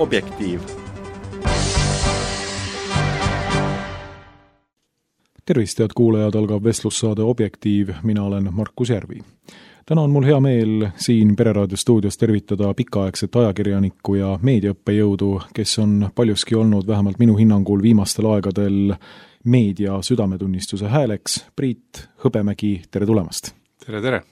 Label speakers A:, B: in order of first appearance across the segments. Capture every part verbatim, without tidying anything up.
A: Objektiiv.
B: Tervist, head kuulajad, algab vestlussaade Objektiiv, mina olen Markus Järvi. Täna on mul hea meel siin Pereraadio stuudios tervitada pikaaegset ajakirjanikku ja meediaõppejõudu, kes on paljuski olnud vähemalt minu hinnangul viimastel aegadel meedia südametunnistuse hääleks. Priit Hõbemägi, tere tulemast!
C: Tere, tere!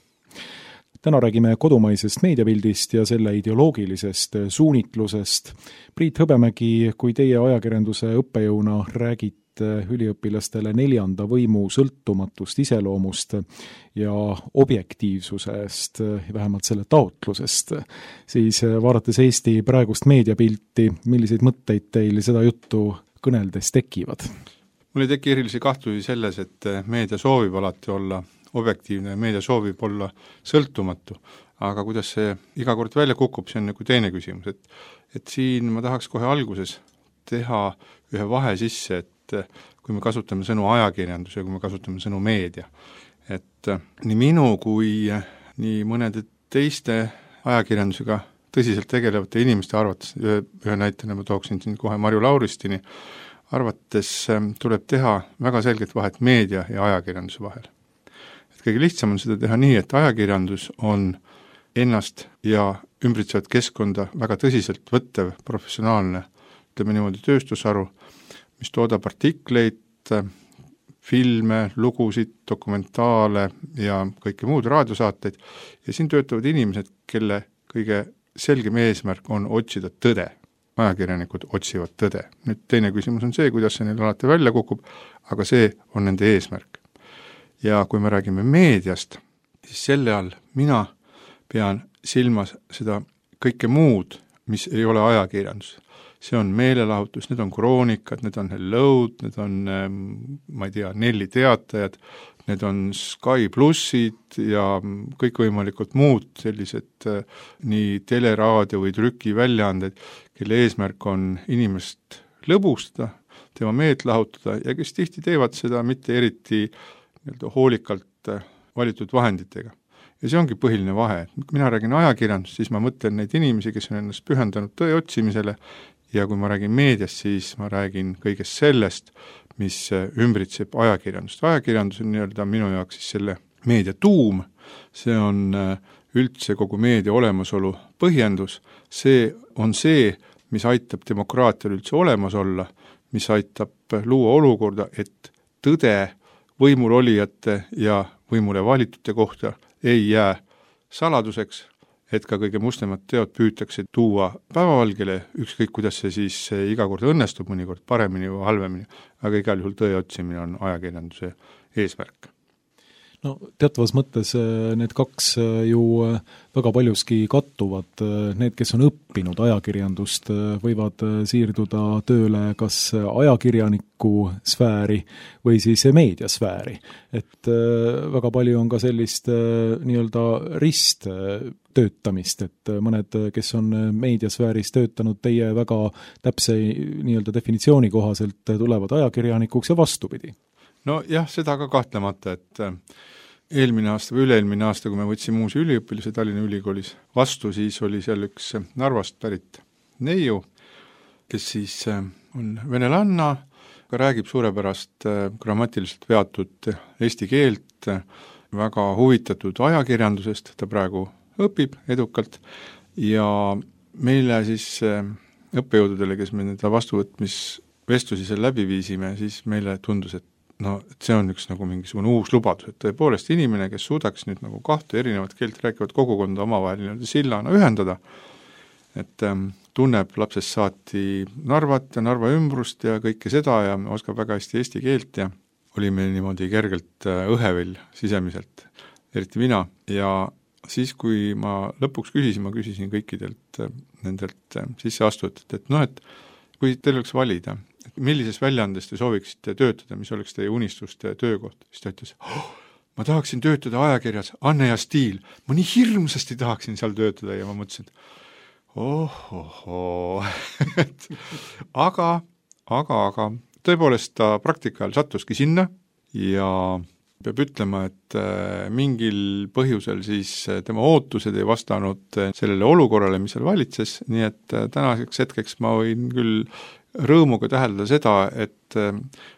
B: Täna räägime kodumaisest meediapildist ja selle ideoloogilisest suunitlusest. Priit Hõbemägi, kui teie ajakirjanduse õppejõuna räägite üliõpilastele neljanda võimu sõltumatust iseloomust ja objektiivsusest, vähemalt selle taotlusest, siis vaadates Eesti praegust meediapilti, milliseid mõtteid teil seda juttu kõneldes tekivad?
C: Mul ei teki erilisi kahtlusi selles, et meedia soovib alati olla objektiivne ja meedia soovib olla sõltumatu, aga kuidas see iga kord välja kukub, see on nagu teine küsimus, et, et siin ma tahaks kohe alguses teha ühe vahe sisse, et kui me kasutame sõnu ajakirjandus ja kui me kasutame sõnu meedia, et nii minu kui nii mõnede teiste ajakirjandusega tõsiselt tegelevate inimeste arvates, ühe, ühe näitena ma tooksin siin kohe Marju Lauristini, arvates tuleb teha väga selget vahet meedia ja ajakirjanduse vahel. Et kõige lihtsam on seda teha nii, et ajakirjandus on ennast ja ümbritsevat keskkonda väga tõsiselt võttev professionaalne, ütleme niimoodi, tööstusharu, mis toodab artikleid, filme, lugusid, dokumentaale ja kõike muud raadiosaateid ja siin töötavad inimesed, kelle kõige selgem eesmärk on otsida tõde. Ajakirjanikud otsivad tõde. Nüüd teine küsimus on see, kuidas see neil alati välja kukub, aga see on nende eesmärk. Ja kui me räägime meediast, siis selle all mina pean silmas seda kõike muud, mis ei ole ajakirjandus. See on meelelahutus, need on kroonikad, need on Hellod, need on, ma ei tea, Nelli teatajad, need on Sky plussid ja kõikvõimalikult muud sellised nii teleraadio või trükiväljaanded, kelle eesmärk on inimest lõbustada, tema meelt lahutada ja kes tihti teevad seda mitte eriti nii-öelda hoolikalt valitud vahenditega. Ja see ongi põhiline vahe. Kui mina räägin ajakirjandust, siis ma mõtlen neid inimesi, kes on ennast pühendanud tõe otsimisele ja kui ma räägin meediast, siis ma räägin kõigest sellest, mis ümbritseb ajakirjandust. Ajakirjandus on nii-öelda minu jaoks siis selle meedia tuum, see on üldse kogu meedia olemasolu põhjendus, see on see, mis aitab demokraatial üldse olemas olla, mis aitab luua olukorda, et tõde võimul olijate ja võimule valitute kohta ei jää saladuseks, et ka kõige mustemad teod püütakse tuua päevavalgele, ükskõik kuidas see siis iga kord õnnestub, mõnikord paremini või halvemini, aga igal juhul tõe otsimine on ajakirjanduse eesmärk.
B: No teatavas mõttes need kaks ju väga paljuski kattuvad. Need, kes on õppinud ajakirjandust, võivad siirduda tööle kas ajakirjaniku sfääri või siis meediasfääri. Et väga palju on ka sellist nii-öelda risttöötamist, et mõned, kes on meediasfääris töötanud teie väga täpse nii-öelda definitsiooni kohaselt, tulevad ajakirjanikuks ja vastupidi.
C: No jah, seda ka kahtlemata, et eelmine aasta või üle-eelmine aasta, kui me võtsime uusi üliõpilase Tallinna Ülikoolis vastu, siis oli seal üks Narvast pärit neiu, kes siis on venelanna, aga räägib suurepärast grammatiliselt veatud eesti keelt, väga huvitatud ajakirjandusest, ta praegu õpib edukalt ja meile siis õppejõududele, kes me nende vastuvõtmisvestlusi seal läbi viisime, siis meile tundus, et no, et see on üks nagu mingisugune uus lubadus, et tõepoolest inimene, kes suudaks nüüd nagu kahte erinevat keelt rääkivat kogukonda omavahel nii-öelda sillana ühendada, et ähm, tunneb lapsest saati Narvat ja Narva ümbrust ja kõike seda ja oskab väga hästi eesti keelt ja oli meil niimoodi kergelt äh, õhevill sisemiselt, eriti mina. Ja siis, kui ma lõpuks küsisin, ma küsisin kõikidelt äh, nendelt äh, sisseastujatelt, et noh, et kui teil oleks valida, millises väljaandes te sooviksite töötada, mis oleks teie unistuste töökoht, siis ta ütles, oh, ma tahaksin töötada ajakirjas Anne ja Stiil, ma nii hirmsasti tahaksin seal töötada ja ma mõtlesin, et oh, oh, oh. aga, aga, aga tõepoolest ta praktika ajal sattuski sinna ja peab ütlema, et mingil põhjusel siis tema ootused ei vastanud sellele olukorrale, mis seal valitses, nii et tänaseks hetkeks ma võin küll rõõmuga täheldada seda, et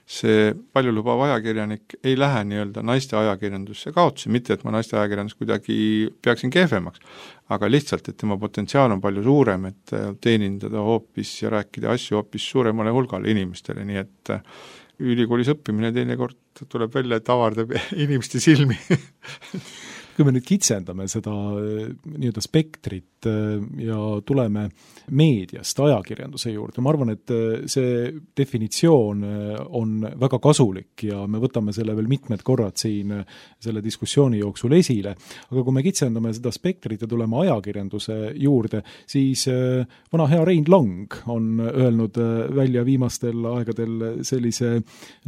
C: see paljulubav ajakirjanik ei lähe nii-öelda naiste ajakirjandusse kaotsi, mitte et ma naiste ajakirjandus kuidagi peaksin kehvemaks, aga lihtsalt, et tema potentsiaal on palju suurem, et teenindada hoopis ja rääkida asju hoopis suuremale hulgale inimestele, nii et ülikoolis õppimine teinekord tuleb välja, et avardab inimeste silmi.
B: Kui me nüüd kitsendame seda nii-öelda spektrit ja tuleme meediast ajakirjanduse juurde, ma arvan, et see definitsioon on väga kasulik ja me võtame selle veel mitmed korrad siin selle diskussiooni jooksul esile, aga kui me kitsendame seda spektrit ja tuleme ajakirjanduse juurde, siis vana hea Rein Lang on öelnud välja viimastel aegadel sellise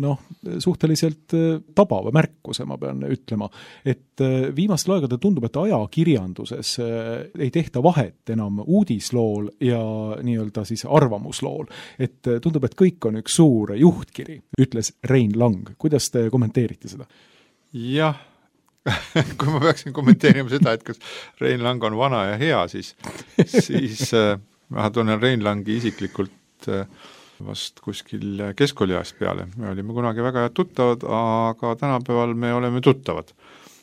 B: noh, suhteliselt tabava märkuse, ma pean ütlema, et viimastel aegadel tundub, et ajakirjanduses ei tehta vahet enam uudislool ja nii-öelda siis arvamuslool. Et tundub, et kõik on üks suur juhtkiri, ütles Rein Lang. Kuidas te kommenteerite seda?
C: Jah, kui ma peaksin kommenteerima seda, et kas Rein Lang on vana ja hea, siis, siis äh, ma tunnen Rein Langi isiklikult äh, vast kuskil keskkooliajast peale. Me olime kunagi väga tuttavad, aga tänapäeval me oleme tuttavad.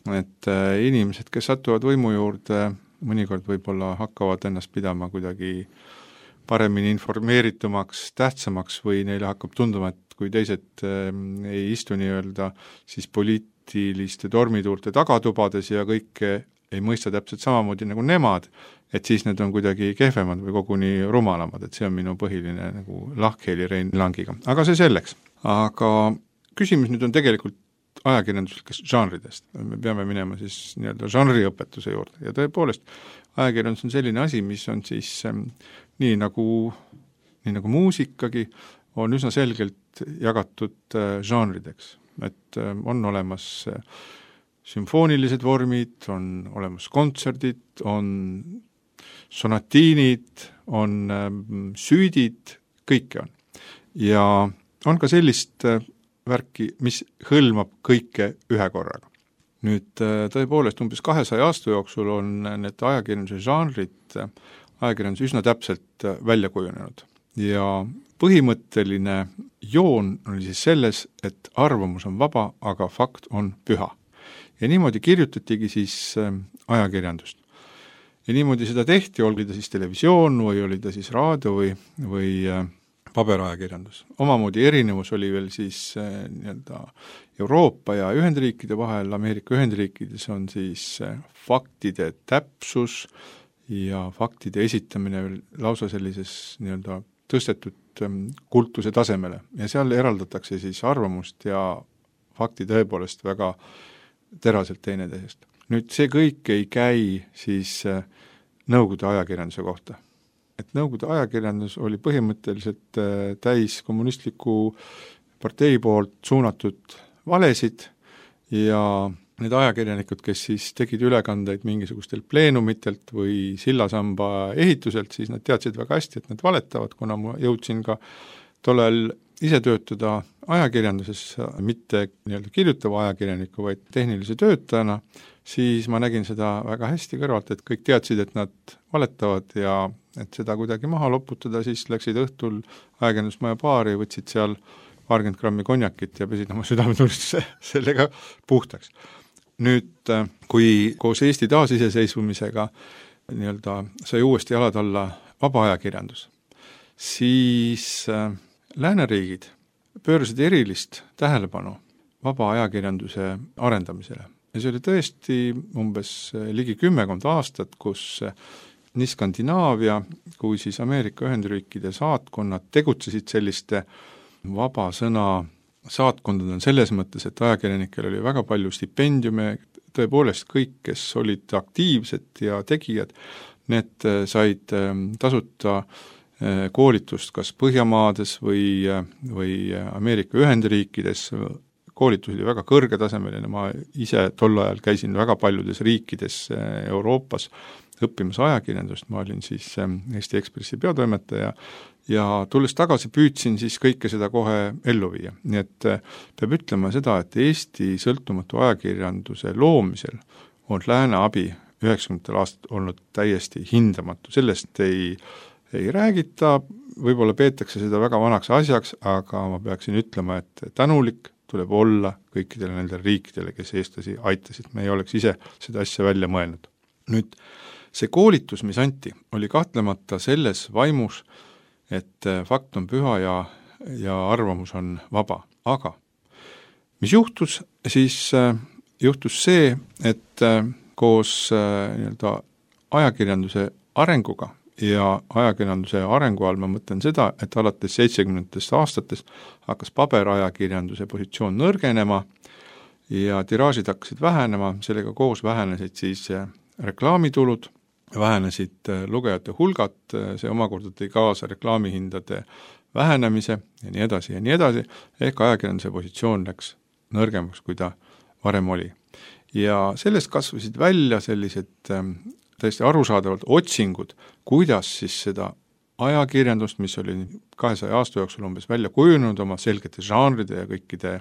C: Et äh, inimesed, kes satuvad võimu juurde, mõnikord võib-olla hakkavad ennast pidama kuidagi paremini informeeritumaks, tähtsamaks või neile hakkab tunduma, et kui teised äh, ei istu nii-öelda siis poliitiliste tormituulte tagatubades ja kõike ei mõista täpselt samamoodi nagu nemad, et siis need on kuidagi kehvemad või koguni rumalamad, et see on minu põhiline nagu lahkheli Rein Langiga. Aga see selleks. Aga küsimus nüüd on tegelikult ajakirjanduslikest žanridest. Me peame minema siis nii-öelda žanriõpetuse juurde ja tõepoolest ajakirjandus on selline asi, mis on siis ähm, nii, nagu, nii nagu muusikagi on üsna selgelt jagatud äh, žanrideks. Et äh, on olemas äh, sümfoonilised vormid, on olemas kontserdid, on sonatiinid, on äh, süüdid, kõike on. Ja on ka sellist äh, värki, mis hõlmab kõike ühe korraga. Nüüd tõepoolest umbes kahesaja aasta jooksul on need ajakirjanduse žanrid ajakirjandus üsna täpselt välja kujunenud. Ja põhimõtteline joon oli siis selles, et arvamus on vaba, aga fakt on püha. Ja niimoodi kirjutatigi siis ajakirjandust. Ja niimoodi seda tehti, oli ta siis televisioon või oli ta siis raadio või, või paberajakirjandus. Omamoodi erinevus oli veel siis äh, nii-öelda Euroopa ja Ühendriikide vahel, Ameerika Ühendriikides on siis äh, faktide täpsus ja faktide esitamine lausa sellises nii-öelda tõstetud ähm, kultuse tasemele ja seal eraldatakse siis arvamust ja fakti tõepoolest väga teraselt teineteisest. Nüüd see kõik ei käi siis äh, Nõukogude ajakirjanduse kohta. Et Nõukogude ajakirjandus oli põhimõtteliselt täis kommunistliku partei poolt suunatud valesid ja need ajakirjanikud, kes siis tegid ülekandeid mingisugustelt pleenumitelt või sillasamba ehituselt, siis nad teadsid väga hästi, et nad valetavad, kuna ma jõudsin ka tollel ise töötada ajakirjanduses, mitte nii-öelda kirjutava ajakirjaniku, vaid tehnilise töötajana, siis ma nägin seda väga hästi kõrvalt, et kõik teadsid, et nad valetavad ja et seda kuidagi maha loputada, siis läksid õhtul ajakirjandusmaja baari, võtsid seal paarkümmend grammi konjakit ja pesid oma südametunnistuse sellega puhtaks. Nüüd, kui koos Eesti taasiseseisvumisega nii-öelda sai uuesti jalad alla vaba ajakirjandus, siis lääneriigid pöörasid erilist tähelepanu vaba ajakirjanduse arendamisele. Ja see oli tõesti umbes ligi kümmekond aastat, kus nii Skandinaavia kui siis Ameerika Ühendriikide saatkonnad tegutsesid selliste vaba sõna saatkondadel selles mõttes, et ajakirjanikel oli väga palju stipendiume, tõepoolest kõik, kes olid aktiivsed ja tegijad, need said tasuta koolitust kas Põhjamaades või, või Ameerika Ühendriikides. Koolitus oli väga kõrgetasemeline, ma ise tol ajal käisin väga paljudes riikides Euroopas õppimas ajakirjandust, ma olin siis Eesti Ekspressi peatoimetaja ja tulles tagasi püüdsin siis kõike seda kohe ellu viia. Nii et peab ütlema seda, et Eesti sõltumatu ajakirjanduse loomisel on lääne abi üheksakümnendatel aastatel olnud täiesti hindamatu. Sellest ei, ei räägita, võib-olla peetakse seda väga vanaks asjaks, aga ma peaksin ütlema, et tänulik tuleb olla kõikidele nendele riikidele, kes eestlasi aitasid. Me ei oleks ise seda asja välja mõelnud. Nüüd, see koolitus, mis anti, oli kahtlemata selles vaimus, et fakt on püha ja, ja arvamus on vaba. Aga mis juhtus, siis juhtus see, et koos nii-öelda ajakirjanduse arenguga ja ajakirjanduse arengu all ma mõtlen seda, et alates seitsekümnendatest aastatest hakkas paberajakirjanduse positsioon nõrgenema ja tiraažid hakkasid vähenema, sellega koos vähenesid siis reklaamitulud, vähenesid lugejate hulgad, see omakorda tõi kaasa reklaamihindade vähenemise ja nii edasi ja nii edasi, ehk ajakirjanduse positsioon läks nõrgemaks, kui ta varem oli. Ja sellest kasvasid välja sellised täiesti arusaadavalt otsingud, kuidas siis seda ajakirjandust, mis oli kahesaja aasta jooksul umbes välja kujunenud oma selgete žanride ja kõikide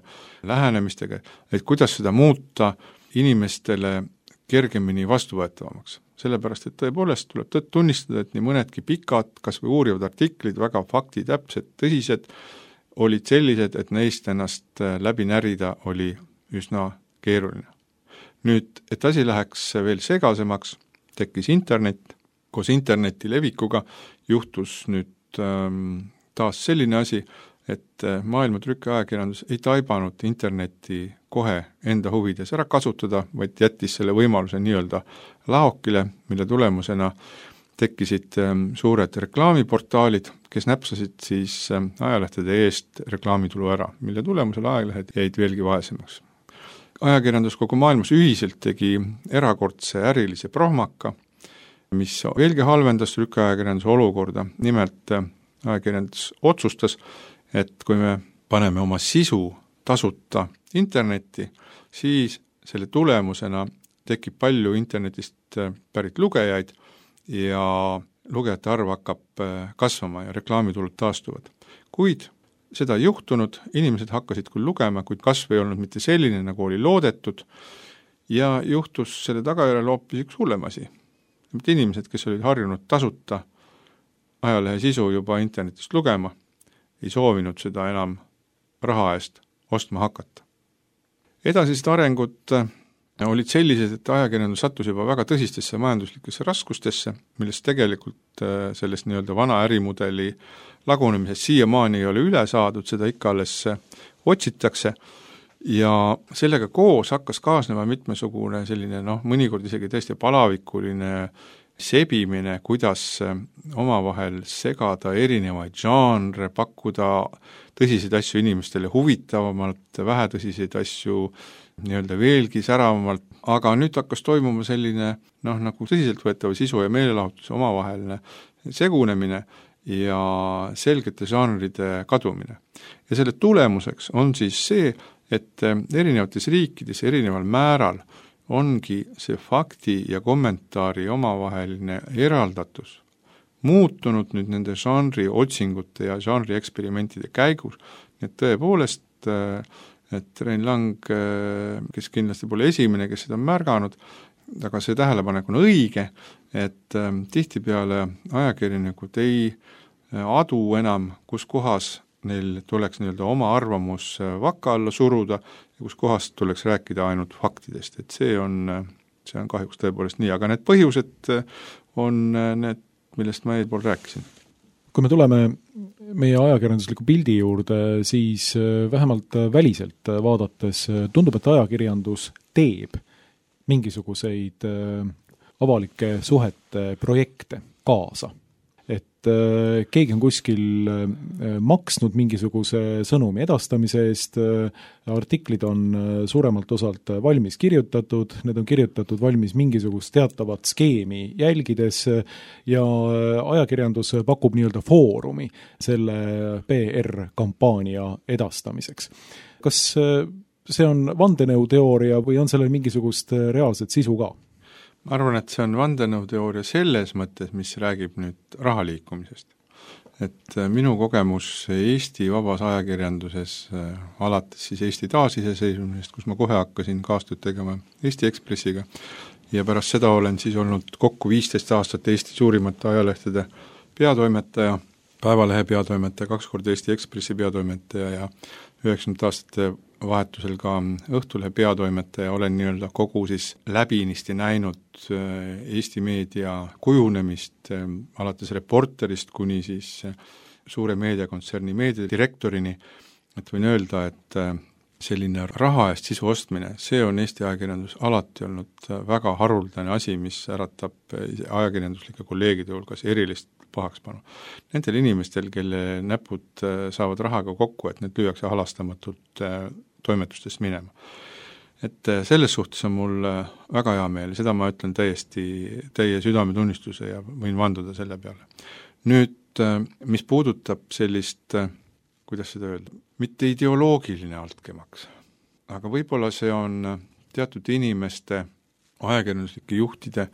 C: lähenemistega, et kuidas seda muuta inimestele kergemini vastuvõetavamaks. Sellepärast, et tõepoolest tuleb tõtt tunnistada, et nii mõnedki pikad, kas või uurivad artiklid, väga faktitäpsed, tõsised, olid sellised, et neist ennast läbi närida oli üsna keeruline. Nüüd, et asi läheks veel segasemaks, tekkis internet, koos interneti levikuga juhtus nüüd ähm, taas selline asi, et maailma trükiajakirjandus ei taibanud internetti kohe enda huvides ära kasutada, vaid jättis selle võimaluse nii-öelda laokile, mille tulemusena tekkisid ähm, suured reklaamiportaalid, kes näpsasid siis ähm, ajalehtede eest reklaamitulu ära, mille tulemusel ajalehed jäid veelgi vaesemaks. Ajakirjandus kogu maailmas ühiselt tegi erakordse ärilise prohmaka, mis veelgi halvendas trükiajakirjanduse olukorda. Nimelt ajakirjandus otsustas, et kui me paneme oma sisu tasuta internetti, siis selle tulemusena tekib palju internetist pärit lugejaid ja lugejate arv hakkab kasvama ja reklaamitulud taastuvad. Kuid seda ei juhtunud, inimesed hakkasid küll lugema, kuid kasv ei olnud mitte selline, nagu oli loodetud, ja juhtus selle tagajärjel hoopis üks hullem asi. Mitte inimesed, kes olid harjunud tasuta ajalehe sisu juba internetist lugema, ei soovinud seda enam raha eest ostma hakata. Edasised arengud olid sellised, et ajakirjandus sattus juba väga tõsistesse majanduslikesse raskustesse, millest tegelikult sellest nii-öelda vana ärimudeli lagunemisest siiamaani ei ole üle saadud, seda ikka alles otsitakse ja sellega koos hakkas kaasnema mitmesugune selline, noh, mõnikord isegi tõesti palavikuline sebimine, kuidas omavahel segada erinevaid žanre, pakkuda tõsiseid asju inimestele huvitavamalt, vähetõsiseid asju nii-öelda veelgi säravamalt, aga nüüd hakkas toimuma selline noh, nagu tõsiseltvõetava sisu ja meelelahutuse omavaheline segunemine ja selgete žanride kadumine. Ja selle tulemuseks on siis see, et erinevates riikides erineval määral ongi see fakti ja kommentaari omavaheline eraldatus muutunud nüüd nende žanri otsingute ja žanri eksperimentide käigus, et tõepoolest et Rein Lang, kes kindlasti pole esimene, kes seda on märganud, aga see tähelepanek on õige, et tihtipeale ajakirjanikud ei adu enam, kus kohas neil tuleks nii-öelda oma arvamus vaka alla suruda ja kus kohast tuleks rääkida ainult faktidest, et see on, see on kahjuks tõepoolest nii, aga need põhjused on need, millest ma eelpool rääkisin.
B: Kui me tuleme meie ajakirjandusliku pildi juurde, siis vähemalt väliselt vaadates tundub, et ajakirjandus teeb mingisuguseid avalike suhete projekte kaasa. Et keegi on kuskil maksnud mingisuguse sõnumi edastamise eest, artiklid on suuremalt osalt valmis kirjutatud, need on kirjutatud valmis mingisugust teatavat skeemi jälgides ja ajakirjandus pakub nii-öelda foorumi selle P R-kampaania edastamiseks. Kas see on vandenõuteooria või on sellel mingisugust reaalset sisu ka?
C: Ma arvan, et see on vandenõuteooria selles mõttes, mis räägib nüüd rahaliikumisest. et minu kogemus Eesti vabas ajakirjanduses alates siis Eesti taasiseseisvumisest, kus ma kohe hakkasin kaastööd tegema Eesti Ekspressiga ja pärast seda olen siis olnud kokku viisteist aastat Eesti suurimate ajalehtede peatoimetaja, Päevalehe peatoimetaja, kaks korda Eesti Ekspressi peatoimetaja ja üheksakümnendate aastate vahetusel ka Õhtulehe peatoimetaja, olen nii-öelda kogu siis läbinisti näinud Eesti meedia kujunemist alates Reporterist kuni siis suure meediakontserni meediadirektorini, et võin öelda, et selline raha eest sisu ostmine, see on Eesti ajakirjandus alati olnud väga haruldane asi, mis äratab ajakirjanduslike kolleegide hulgas erilist pahakspanu. Nendel inimestel, kelle näpud saavad rahaga kokku, et need lüüakse halastamatult toimetustest minema. Et selles suhtes on mul väga hea meel, seda ma ütlen täiesti teie südametunnistuse ja võin vanduda selle peale. Nüüd, mis puudutab sellist, kuidas seda öelda, mitte ideoloogiline altkäemaks, aga võib-olla see on teatud inimeste, ajakirjanduslike juhtide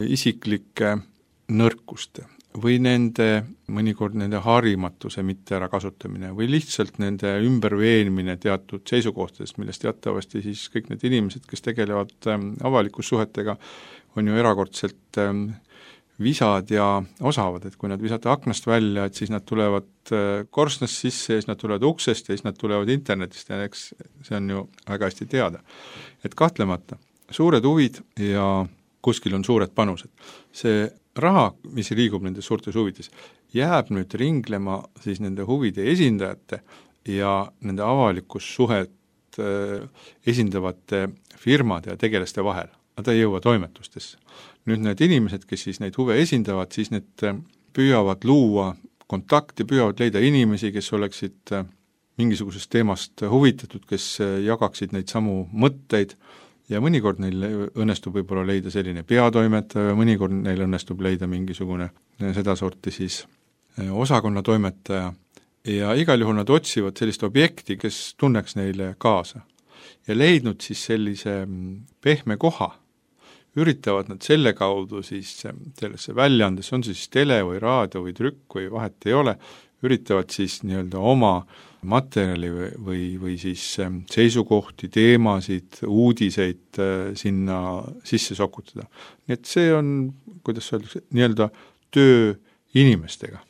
C: isiklike nõrkuste või nende, mõnikord nende harimatuse mitte ära kasutamine või lihtsalt nende ümberveenmine teatud seisukohtadest, millest teatavasti siis kõik need inimesed, kes tegelevad avalikus suhetega, on ju erakordselt visad ja osavad, et kui nad visata aknast välja, et siis nad tulevad korstnast sisse ja siis nad tulevad uksest ja siis nad tulevad internetist ja eks see on ju väga hästi teada. Et kahtlemata suured huvid ja kuskil on suured panused. See raha, mis liigub nendes suurtes huvides, jääb nüüd ringlema siis nende huvide esindajate ja nende avalikus suhet esindavate firmade ja tegelaste vahel. Nad ei jõua toimetustesse. Nüüd need inimesed, kes siis neid huve esindavad, siis need püüavad luua kontakti, püüavad leida inimesi, kes oleksid mingisugusest teemast huvitatud, kes jagaksid neid samu mõtteid ja mõnikord neil õnnestub võib-olla leida selline peatoimetaja, mõnikord neil õnnestub leida mingisugune sedasorti siis osakonna toimetaja ja igal juhul nad otsivad sellist objekti, kes tunneks neile kaasa. Ja leidnud siis sellise pehme koha, üritavad nad selle kaudu siis sellesse väljaandesse, on siis tele või raadio või trükk või vahet ei ole, üritavad siis nii-öelda oma materjali või, või, või siis seisukohti, teemasid, uudiseid sinna sisse sokutada. Nii et see on, kuidas öeldakse, nii-öelda töö inimestega.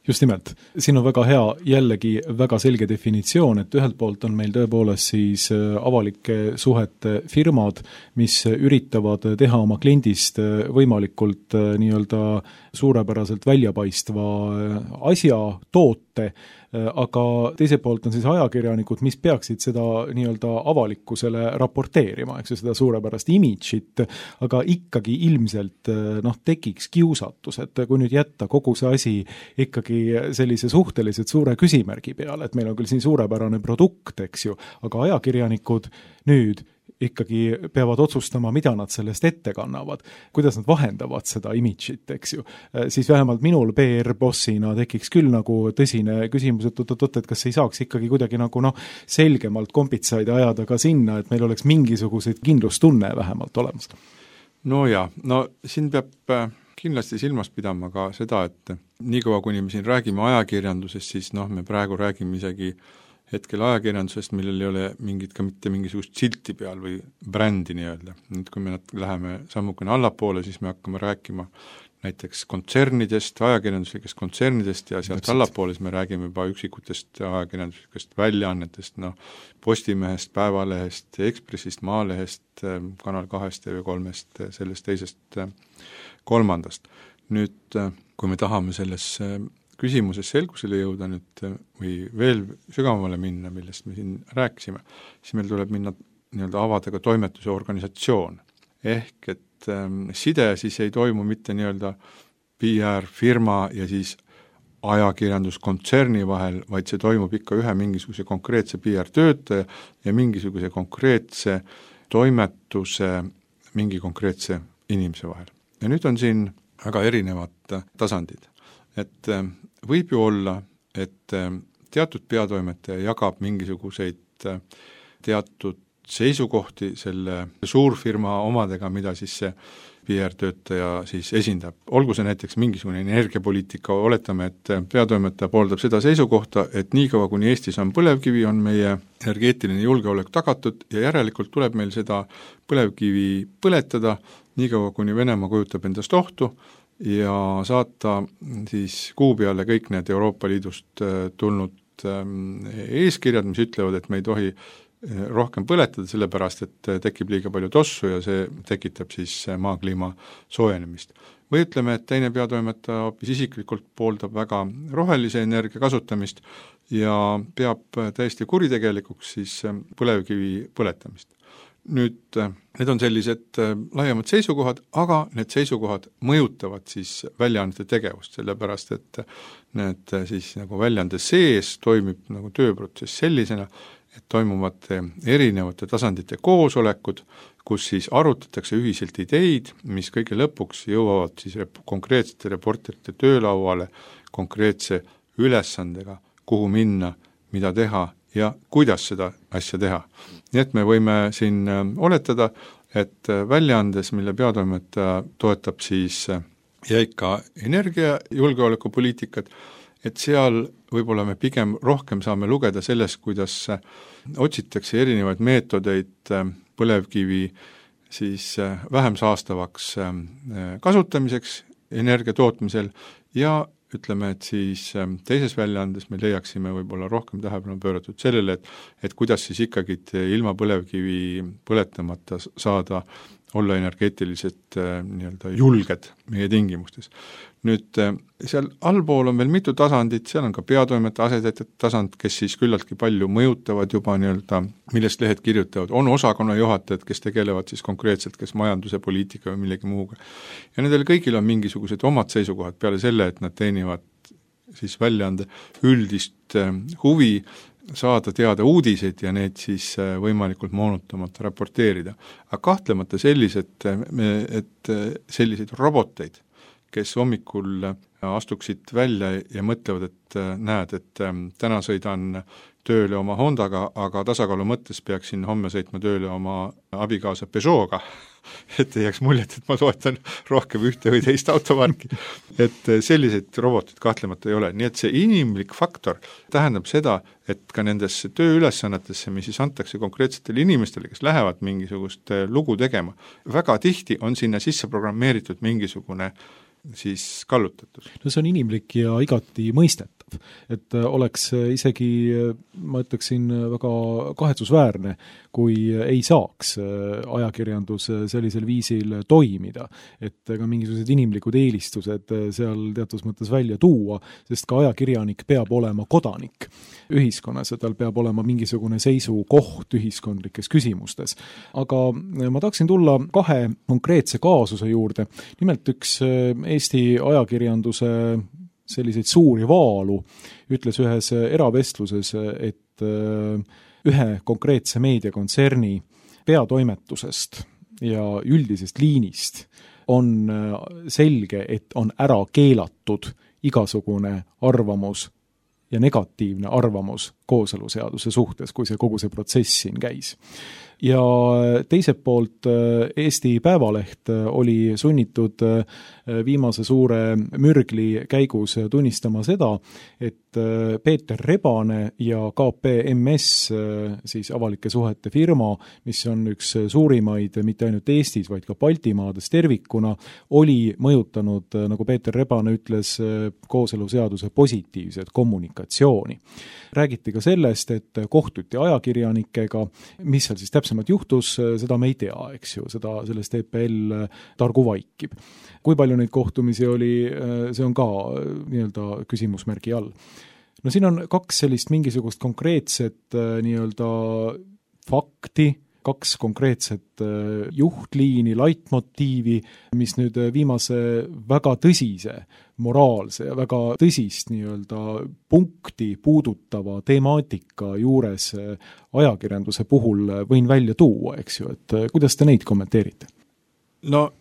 B: Just nimelt, siin on väga hea jällegi väga selge definitsioon, et ühelt poolt on meil tõepoolest siis avalike suhete firmad, mis üritavad teha oma kliendist võimalikult nii-öelda suurepäraselt väljapaistva asja, toote, aga teiselt poolt on siis ajakirjanikud, mis peaksid seda nii-öelda avalikkusele raporteerima, eks ju, seda suurepärast imidžit, aga ikkagi ilmselt noh, tekiks kiusatus, et kui nüüd jätta kogu see asi ikkagi sellise suhteliselt suure küsimärgi peale, et meil on küll siin suurepärane produkt, eks ju, aga ajakirjanikud nüüd ikkagi peavad otsustama, mida nad sellest ette kannavad, kuidas nad vahendavad seda imidžit, eks ju. Siis vähemalt minul P R-bossina tekiks küll nagu tõsine küsimus, et oot-oot, et kas ei saaks ikkagi kuidagi nagu noh, selgemalt kompitsaid ajada ka sinna, et meil oleks mingisuguseid kindlustunne vähemalt olemas.
C: No jaa, no siin peab kindlasti silmas pidama ka seda, et niikaua kuni me siin räägime ajakirjandusest, siis noh, me praegu räägime isegi hetkel ajakirjandusest, millel ei ole mingit ka mitte mingisugust silti peal või brändi nii-öelda. Nüüd kui me läheme sammukene allapoole, siis me hakkame rääkima näiteks kontsernidest, ajakirjanduslikest kontsernidest ja sealt allapoole me räägime juba üksikutest ajakirjanduslikest väljaannetest, noh, Postimehest, Päevalehest, Ekspressist, Maalehest, Kanal kahest, T V kolmest, sellest teisest kolmandast. Nüüd, kui me tahame selles küsimuses selgusele jõuda nüüd või veel sügavamale minna, millest me siin rääkisime, siis meil tuleb minna nii-öelda avada ka toimetuse organisatsioon. Ehk et ähm, side siis ei toimu mitte nii-öelda P R-firma ja siis ajakirjanduskontserni vahel, vaid see toimub ikka ühe mingisuguse konkreetse P R-töötaja ja mingisuguse konkreetse toimetuse mingi konkreetse inimese vahel. Ja nüüd on siin väga erinevad tasandid. Et võib ju olla, et teatud peatoimetaja jagab mingisuguseid teatud seisukohti selle suurfirma omadega, mida siis see P R-töötaja siis esindab. Olgu see näiteks mingisugune energiapoliitika, oletame, et peatoimetaja pooldab seda seisukohta, et niikaua, kuni Eestis on põlevkivi, on meie energeetiline julgeolek tagatud ja järelikult tuleb meil seda põlevkivi põletada, niikaua, kuni Venemaa kujutab endast ohtu ja saata siis kuu peale kõik need Euroopa Liidust tulnud eeskirjad, mis ütlevad, et me ei tohi rohkem põletada, sellepärast et tekib liiga palju tossu ja see tekitab siis maakliima soojenemist. Või ütleme, et teine peatoimetaja hoopis isiklikult pooldab väga rohelise energia kasutamist ja peab täiesti kuritegelikuks siis põlevkivi põletamist. Nüüd, need on sellised laiemad seisukohad, aga need seisukohad mõjutavad siis väljaannete tegevust, sellepärast et need siis nagu väljaande sees toimib nagu tööprotsess sellisena, et toimuvad erinevate tasandite koosolekud, kus siis arutatakse ühiselt ideid, mis kõige lõpuks jõuavad siis rep- konkreetsete reporterite töölauale konkreetse ülesandega, kuhu minna, mida teha ja kuidas seda asja teha. Nii et me võime siin oletada, et väljaandes, mille peatoimetaja toetab siis jäika energiajulgeolekupoliitikat, et seal võib-olla me pigem rohkem saame lugeda sellest, kuidas otsitakse erinevaid meetodeid põlevkivi siis vähem saastavaks kasutamiseks energia tootmisel ja ütleme, et siis teises väljaandes me leiaksime võib-olla rohkem tähelepanu pööratud sellele, et, et kuidas siis ikkagi ilma põlevkivi põletamata saada olla energeetiliselt nii-öelda julged meie tingimustes. Nüüd seal allpool on veel mitu tasandit, seal on ka peatoimetaja asetäitjate tasand, kes siis küllaltki palju mõjutavad juba nii-öelda, millest lehed kirjutavad, on osakonna juhatajad, kes tegelevad siis konkreetselt kas majanduse, poliitika või millegi muuga. Ja nendel kõigil on mingisugused omad seisukohad peale selle, et nad teenivad siis väljaande üldist huvi saada teada uudiseid ja need siis võimalikult moonutamata raporteerida. Aga kahtlemata sellised, et selliseid roboteid, kes hommikul astuksid välja ja mõtlevad, et näed, et täna sõidan tööle oma Hondaga, aga tasakaalu mõttes peaksin homme sõitma tööle oma abikaasa Peugeot'ga, et ei jääks muljet, et ma toetan rohkem ühte või teist automarki. Et selliseid robotid kahtlemata ei ole. Nii et see inimlik faktor tähendab seda, et ka nendesse tööülesannetesse, mis siis antakse konkreetsetele inimestele, kes lähevad mingisugust lugu tegema, väga tihti on sinna sisse programmeeritud mingisugune siis kallutatus.
B: No see on inimlik ja igati mõistetav, et oleks isegi, ma ütleksin, väga kahetsusväärne, kui ei saaks ajakirjandus sellisel viisil toimida, et ka mingisugused inimlikud eelistused seal teatud mõttes välja tuua, sest ka ajakirjanik peab olema kodanik ühiskonnas ja tal peab olema mingisugune seisukoht ühiskondlikes küsimustes. Aga ma tahaksin tulla kahe konkreetse kaasuse juurde, nimelt üks Eesti ajakirjanduse selliseid suuri vaalu ütles ühes eravestluses, et ühe konkreetse meediakontserni peatoimetusest ja üldisest liinist on selge, et on ära keelatud igasugune arvamus ja negatiivne arvamus kooseluseaduse suhtes, kui see kogu see protsess siin käis. Ja teiselt poolt Eesti Päevaleht oli sunnitud viimase suure mürgli käigus tunnistama seda, et Peeter Rebane ja K P M S, siis avalike suhete firma, mis on üks suurimaid mitte ainult Eestis, vaid ka Baltimaades tervikuna, oli mõjutanud, nagu Peeter Rebane ütles, kooseluseaduse positiivset kommunikatsiooni. Räägiti ka sellest, et kohtuti ajakirjanikega, mis seal siis täpsemalt juhtus, seda me ei tea, eks ju, seda sellest E P L targu vaikib. Kui palju neid kohtumisi oli, see on ka nii-öelda küsimusmärgi all. No siin on kaks sellist mingisugust konkreetset nii-öelda fakti, kaks konkreetset juhtliini, laitmotiivi, mis nüüd viimase väga tõsise, moraalse ja väga tõsist nii-öelda punkti puudutava temaatika juures ajakirjanduse puhul võin välja tuua, eks ju, et kuidas te neid kommenteerite?
C: No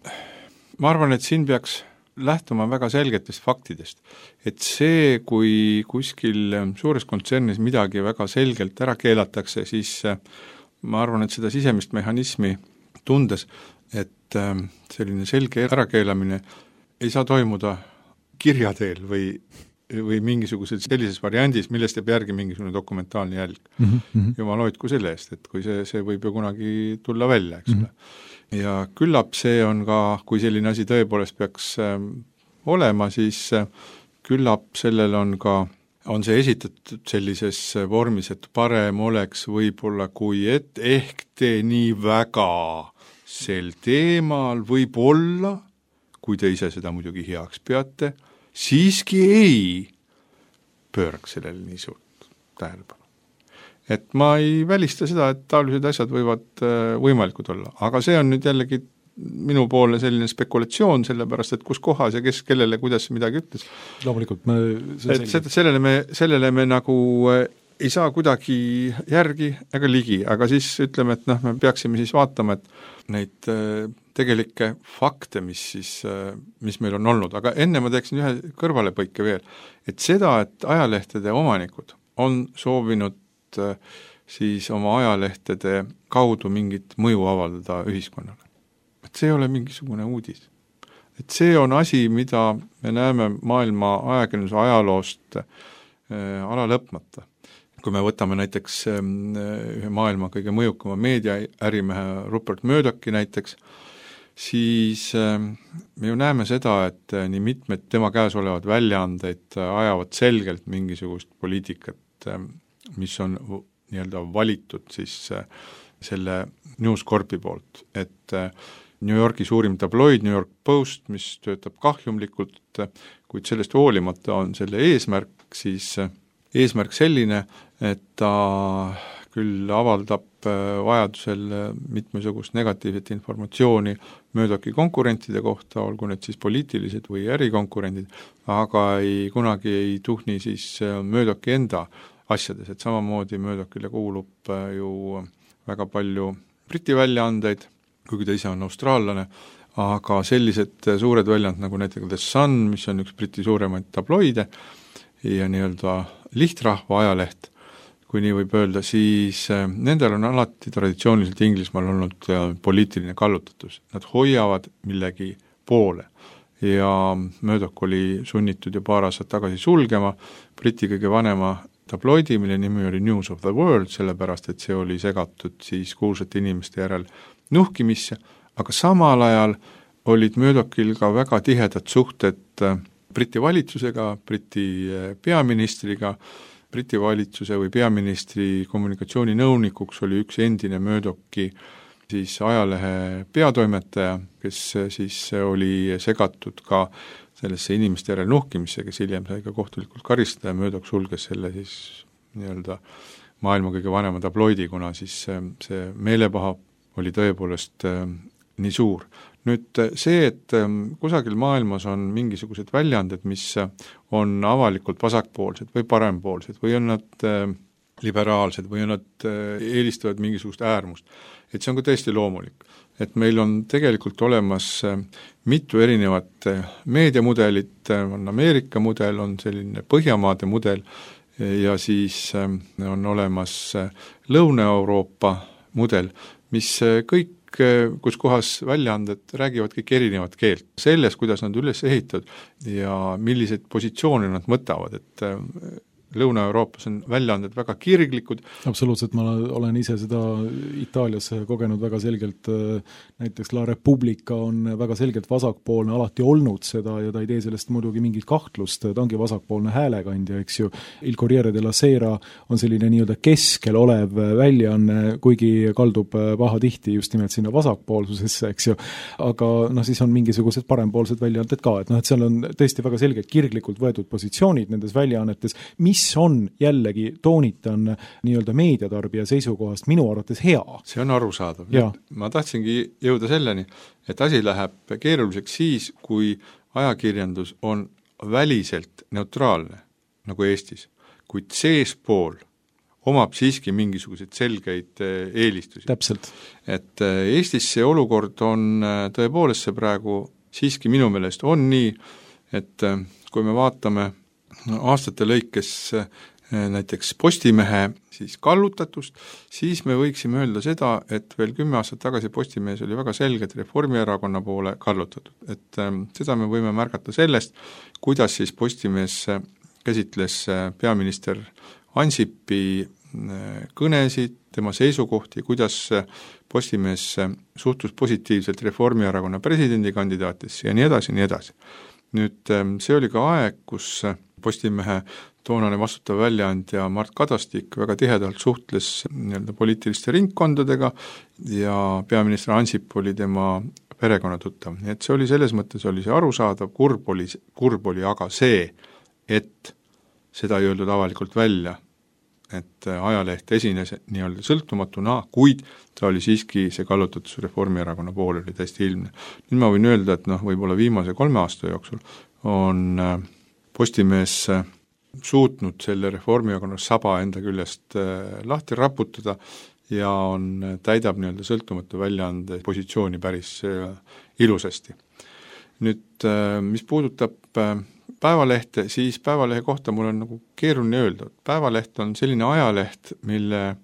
C: ma arvan, et siin peaks lähtuma väga selgetest faktidest, et see, kui kuskil suures kontsernis midagi väga selgelt ära keelatakse, siis ma arvan, et seda sisemist mehhanismi tundes, et selline selge ärakeelamine ei saa toimuda kirja teel või, või mingisuguses sellises variandis, millest jääb järgi mingisugune dokumentaalne jälg. Mm -hmm. Jumal hoidku selle eest, et kui see, see võib ju kunagi tulla välja, eks ole. Mm -hmm. Ja küllap see on ka, kui selline asi tõepoolest peaks äh, olema, siis äh, küllap sellel on ka, on see esitatud sellises vormis, et parem oleks võib-olla, kui et ehk te nii väga sel teemal võib-olla, kui te ise seda muidugi heaks peate, siiski ei pööraks sellele nii suurt tähelepanu. Et ma ei välista seda, et taolised asjad võivad võimalikud olla, aga see on nüüd jällegi minu poole selline spekulatsioon, sellepärast, et kus kohas ja kes kellele, kuidas midagi ütles.
B: Loomulikult me
C: et sellele me, sellele me nagu ei saa kuidagi järgi ega ligi, aga siis ütleme, et noh, me peaksime siis vaatama, et neid tegelikke fakte, mis siis, mis meil on olnud, aga enne ma teeksin ühe kõrvalepõike veel, et seda, et ajalehtede omanikud on soovinud siis oma ajalehtede kaudu mingit mõju avaldada ühiskonnale. Et see ei ole mingisugune uudis. Et see on asi, mida me näeme maailma ajakirjanduse ajaloost äh, ala lõpmata. Kui me võtame näiteks äh, ühe maailma kõige mõjukama meediaärimehe Rupert Murdochi näiteks, siis äh, me ju näeme seda, et äh, nii mitmed tema käes olevad väljaandeid äh, ajavad selgelt mingisugust poliitikat, äh, mis on nii-öelda valitud siis äh, selle News Corpi poolt, et äh, New Yorki suurim tabloid, New York Post, mis töötab kahjumlikult, kuid sellest hoolimata on selle eesmärk siis eesmärk selline, et ta küll avaldab vajadusel mitmesugust negatiivset informatsiooni Murdochi konkurentide kohta, olgu need siis poliitilised või ärikonkurendid, aga ei, kunagi ei tuhni siis Murdochi enda asjades, et samamoodi Murdochile kuulub ju väga palju Briti väljaandeid, kuigi ta ise on austraallane, aga sellised suured väljand nagu näiteks The Sun, mis on üks Briti suuremaid tabloide ja nii-öelda lihtrahva ajaleht, kui nii võib öelda, siis nendel on alati traditsiooniliselt Inglismaal olnud poliitiline kallutatus. Nad hoiavad millegi poole ja Murdoch oli sunnitud ju paar aastat tagasi sulgema Briti kõige vanema tabloidi, mille nimi oli News of the World, sellepärast et see oli segatud siis kuulsate inimeste järel nuhkimisse, aga samal ajal olid Murdochil ka väga tihedad suhted Briti valitsusega, Briti peaministriga. Briti valitsuse või peaministri kommunikatsiooninõunikuks oli üks endine Murdochi siis ajalehe peatoimetaja, kes siis oli segatud ka sellesse inimeste järel nuhkimisse, kes hiljem sai ka kohtulikult karistada ja Murdoch sulges selle siis nii-öelda maailma kõige vanema tabloidi, kuna siis see meelepaha oli tõepoolest äh, nii suur. Nüüd see, et äh, kusagil maailmas on mingisugused väljaanded, mis on avalikult vasakpoolsed või parempoolsed või on nad äh, liberaalsed või on nad äh, eelistavad mingisugust äärmust, et see on ka tõesti loomulik. Et meil on tegelikult olemas äh, mitu erinevat äh, meediamudelit, äh, on Ameerika mudel, on selline Põhjamaade mudel äh, ja siis äh, on olemas äh, Lõuna-Euroopa mudel, mis kõik, kus kohas väljaanded räägivad kõik erinevat keelt. Selles, kuidas nad üles ehitavad ja milliseid positsioone nad mõtavad, et Lõuna-Euroopas on väljaanded väga kirglikud.
B: Absoluutselt, ma olen ise seda Itaalias kogenud väga selgelt, näiteks La Repubblica on väga selgelt vasakpoolne, alati olnud seda ja ta ei tee sellest muidugi mingit kahtlust, ta ongi vasakpoolne häälekandja, eks ju. Il Corriere della Sera on selline nii-öelda keskel olev väljaanne, kuigi kaldub pahatihti just nimelt sinna vasakpoolsusesse, eks ju, aga noh, siis on mingisugused parempoolsed väljaanded ka, et noh, et seal on tõesti väga selgelt kirglikult võetud positsioonid nendes väljaannetes, mis mis on jällegi, toonitan nii-öelda meediatarbija seisukohast minu arvates hea.
C: See on arusaadav. Ma tahtsingi jõuda selleni, et asi läheb keeruliseks siis, kui ajakirjandus on väliselt neutraalne, nagu Eestis, kuid seespool omab siiski mingisuguseid selgeid eelistusi.
B: Täpselt.
C: Et Eestis see olukord on tõepoolest see praegu siiski minu meelest on nii, et kui me vaatame aastate lõikes näiteks Postimehe siis kallutatust, siis me võiksime öelda seda, et veel kümme aastat tagasi Postimees oli väga selgelt Reformierakonna poole kallutatud. Et ähm, seda me võime märgata sellest, kuidas siis Postimees käsitles peaminister Ansipi kõnesid, tema seisukohti, kuidas Postimees suhtus positiivselt Reformierakonna presidendikandidaatisse ja nii edasi, nii edasi. Nüüd see oli ka aeg, kus Postimehe toonane vastutav väljaandja Mart Kadastik väga tihedalt suhtles nii-öelda poliitiliste ringkondadega ja peaminister Ansip oli tema perekonnatuttav. Nii et see oli selles mõttes, oli see arusaadav, kurb oli, kurb oli aga see, et seda ei öeldud avalikult välja, et ajaleht esines nii-öelda sõltumatuna, kuid ta oli siiski see kallutatus Reformierakonna poole oli täiesti ilmne. Nüüd ma võin öelda, et noh, võib-olla viimase kolme aasta jooksul on Postimees suutnud selle Reformierakonna saba enda küljest lahti raputada ja on, täidab nii-öelda sõltumatu väljaande positsiooni päris ilusasti. Nüüd, mis puudutab Päevalehte, siis Päevalehe kohta mul on nagu keeruline öelda. Päevaleht on selline ajaleht, mille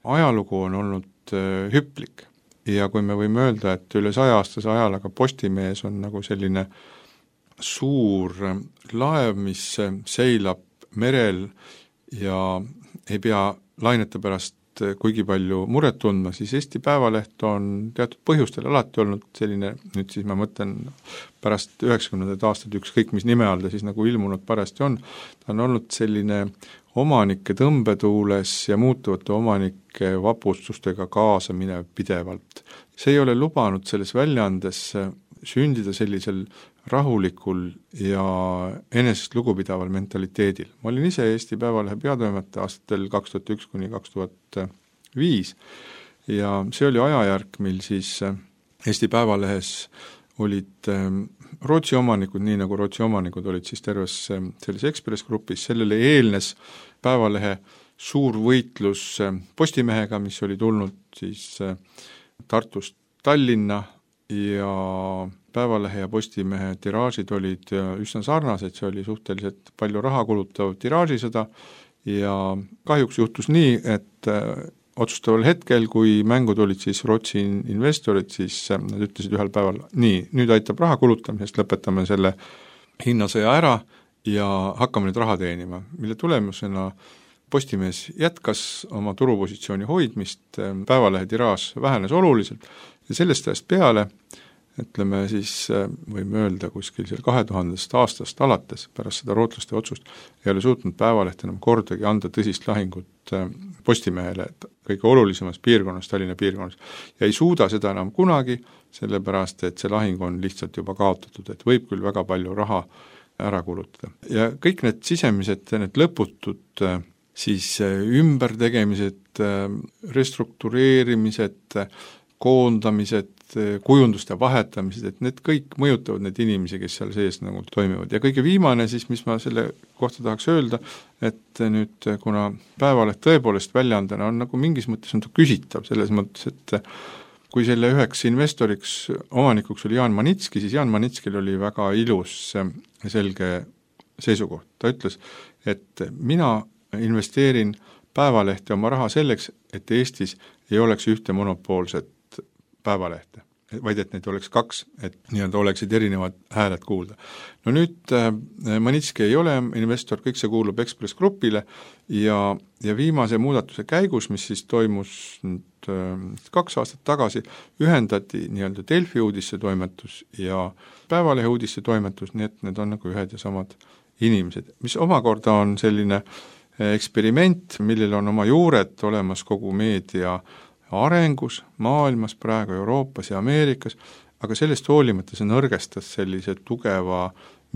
C: ajalugu on olnud hüplik. Ja kui me võime öelda, et üle saja-aastase ajalaga Postimees on nagu selline suur laev, mis seilab merel ja ei pea lainete pärast kuigi palju muret tundma, siis Eesti Päevaleht on teatud põhjustel alati olnud selline, nüüd siis ma mõtlen pärast üheksakümnendaid aastaid ükskõik mis nime all ta siis nagu ilmunud parasti on, ta on olnud selline omanike tõmbetuules ja muutuvate omanike vapustustega kaasa minev pidevalt. See ei ole lubanud selles väljaandes sündida sellisel rahulikul ja enesest lugupidaval mentaliteedil. Ma olin ise Eesti Päevalehe peatoimetaja aastatel kaks tuhat üks kuni kaks tuhat viis ja see oli ajajärk, mil siis Eesti Päevalehes olid Rootsi omanikud, nii nagu Rootsi omanikud olid siis terves selles Ekspress grupis, sellele eelnes Päevalehe suur võitlus Postimehega, mis oli tulnud siis Tartust Tallinna ja Päevalehe ja Postimehe tiraažid olid üsna sarnased, see oli suhteliselt palju raha kulutav tiraažisõda ja kahjuks juhtus nii, et otsustaval hetkel, kui mängud olid siis Rootsi investorid, siis nad ütlesid ühel päeval, nii, nüüd aitab raha kulutamisest, lõpetame selle hinnasõja ära ja hakkame nüüd raha teenima, mille tulemusena Postimees jätkas oma turupositsiooni hoidmist, Päevalehe tiraaž vähenes oluliselt ja sellest ajast peale, ütleme siis, võime öelda kuskil seal kahe tuhandest aastast alates pärast seda rootlaste otsust, ei ole suutnud Päevaleht enam kordagi anda tõsist lahingut Postimehele kõige olulisemas piirkonnas, Tallinna piirkonnas, ja ei suuda seda enam kunagi, sellepärast et see lahing on lihtsalt juba kaotatud, et võib küll väga palju raha ära kulutada. Ja kõik need sisemised, need lõputud siis ümbertegemised, restruktureerimised, koondamised, kujunduste vahetamised, et need kõik mõjutavad need inimesi, kes seal sees nagu toimivad. Ja kõige viimane siis, mis ma selle kohta tahaks öelda, et nüüd kuna Päevaleht tõepoolest väljaandena on nagu mingis mõttes on ta küsitav, selles mõttes, et kui selle üheks investoriks, omanikuks oli Jaan Manitski, siis Jaan Manitskil oli väga ilus selge seisukoht. Ta ütles, et mina investeerin Päevalehte oma raha selleks, et Eestis ei oleks ühte monopoolset Päevalehte, vaid et neid oleks kaks, et nii-öelda oleksid erinevad hääled kuulda. No nüüd äh, Manitski ei ole investor, kõik see kuulub Ekspress Grupile ja, ja viimase muudatuse käigus, mis siis toimus nüüd, äh, kaks aastat tagasi, ühendati nii-öelda Delfi uudisse toimetus ja Päevalehe uudisse toimetus, nii et need on nagu ühed ja samad inimesed, mis omakorda on selline eksperiment, millel on oma juured olemas kogu meedia arengus, maailmas praegu, Euroopas ja Ameerikas, aga sellest hoolimata see nõrgestas sellise tugeva,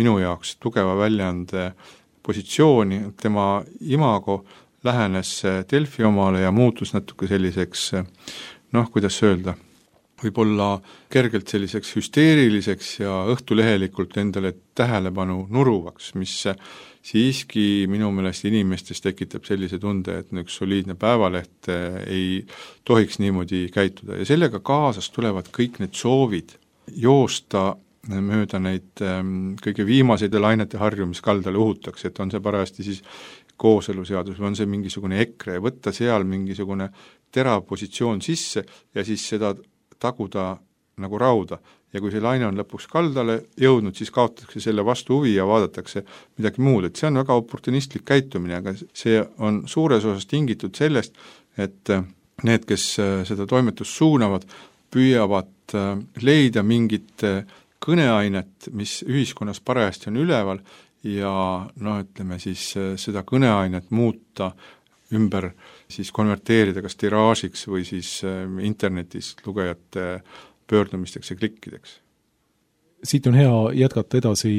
C: minu jaoks tugeva väljaande positsiooni, tema imago lähenes Delfi omale ja muutus natuke selliseks, noh, kuidas öelda, võib-olla kergelt selliseks hüsteeriliseks ja õhtulehelikult endale tähelepanu nuruvaks, mis siiski minu meelest inimestes tekitab sellise tunde, et üks soliidne Päevaleht ei tohiks niimoodi käituda ja sellega kaasas tulevad kõik need soovid joosta mööda neid kõige viimaseid lainete harju, mis kaldale uhutakse, et on see parajasti siis kooseluseadus või on see mingisugune EKRE, võtta seal mingisugune terav positsioon sisse ja siis seda taguda nagu rauda. Ja kui see laine on lõpuks kaldale jõudnud, siis kaotatakse selle vastu huvi ja vaadatakse midagi muud. Et see on väga oportunistlik käitumine, aga see on suures osas tingitud sellest, et need, kes seda toimetust suunavad, püüavad leida mingit kõneainet, mis ühiskonnas parajasti on üleval ja no ütleme siis seda kõneainet muuta ümber, siis konverteerida kas tiraažiks või siis internetis lugejate pöördumisteks ja klikkideks.
B: Siit on hea jätkata edasi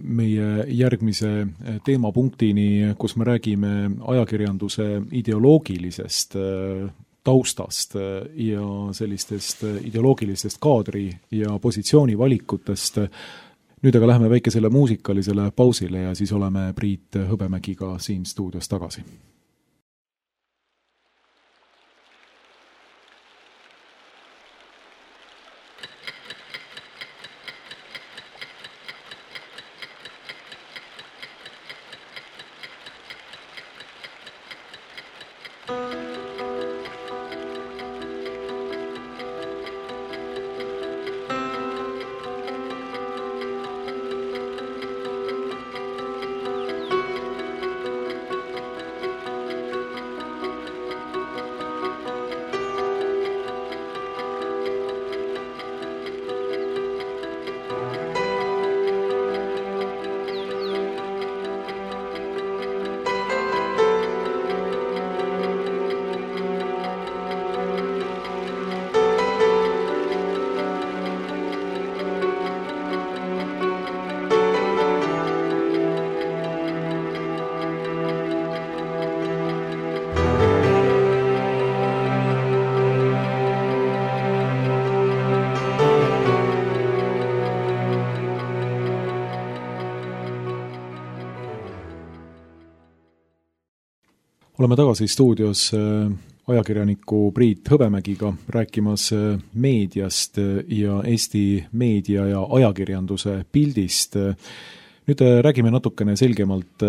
B: meie järgmise teemapunktini, kus me räägime ajakirjanduse ideoloogilisest taustast ja sellistest ideoloogilistest kaadri ja positsiooni valikutest. Nüüd aga läheme väikesele muusikalisele pausile ja siis oleme Priit Hõbemägiga siin stuudios tagasi. Oleme tagasi stuudios ajakirjaniku Priit Hõbemägiga rääkimas meediast ja Eesti meedia ja ajakirjanduse pildist. Nüüd räägime natukene selgemalt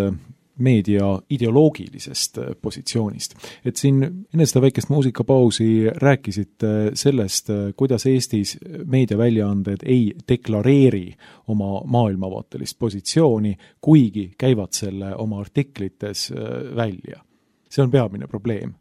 B: meedia ideoloogilisest positsioonist. Et siin enne seda väikest muusikapausi rääkisite sellest, kuidas Eestis meediaväljaanded ei deklareeri oma maailmavaatelist positsiooni, kuigi käivad selle oma artiklites välja. See on peamine probleem.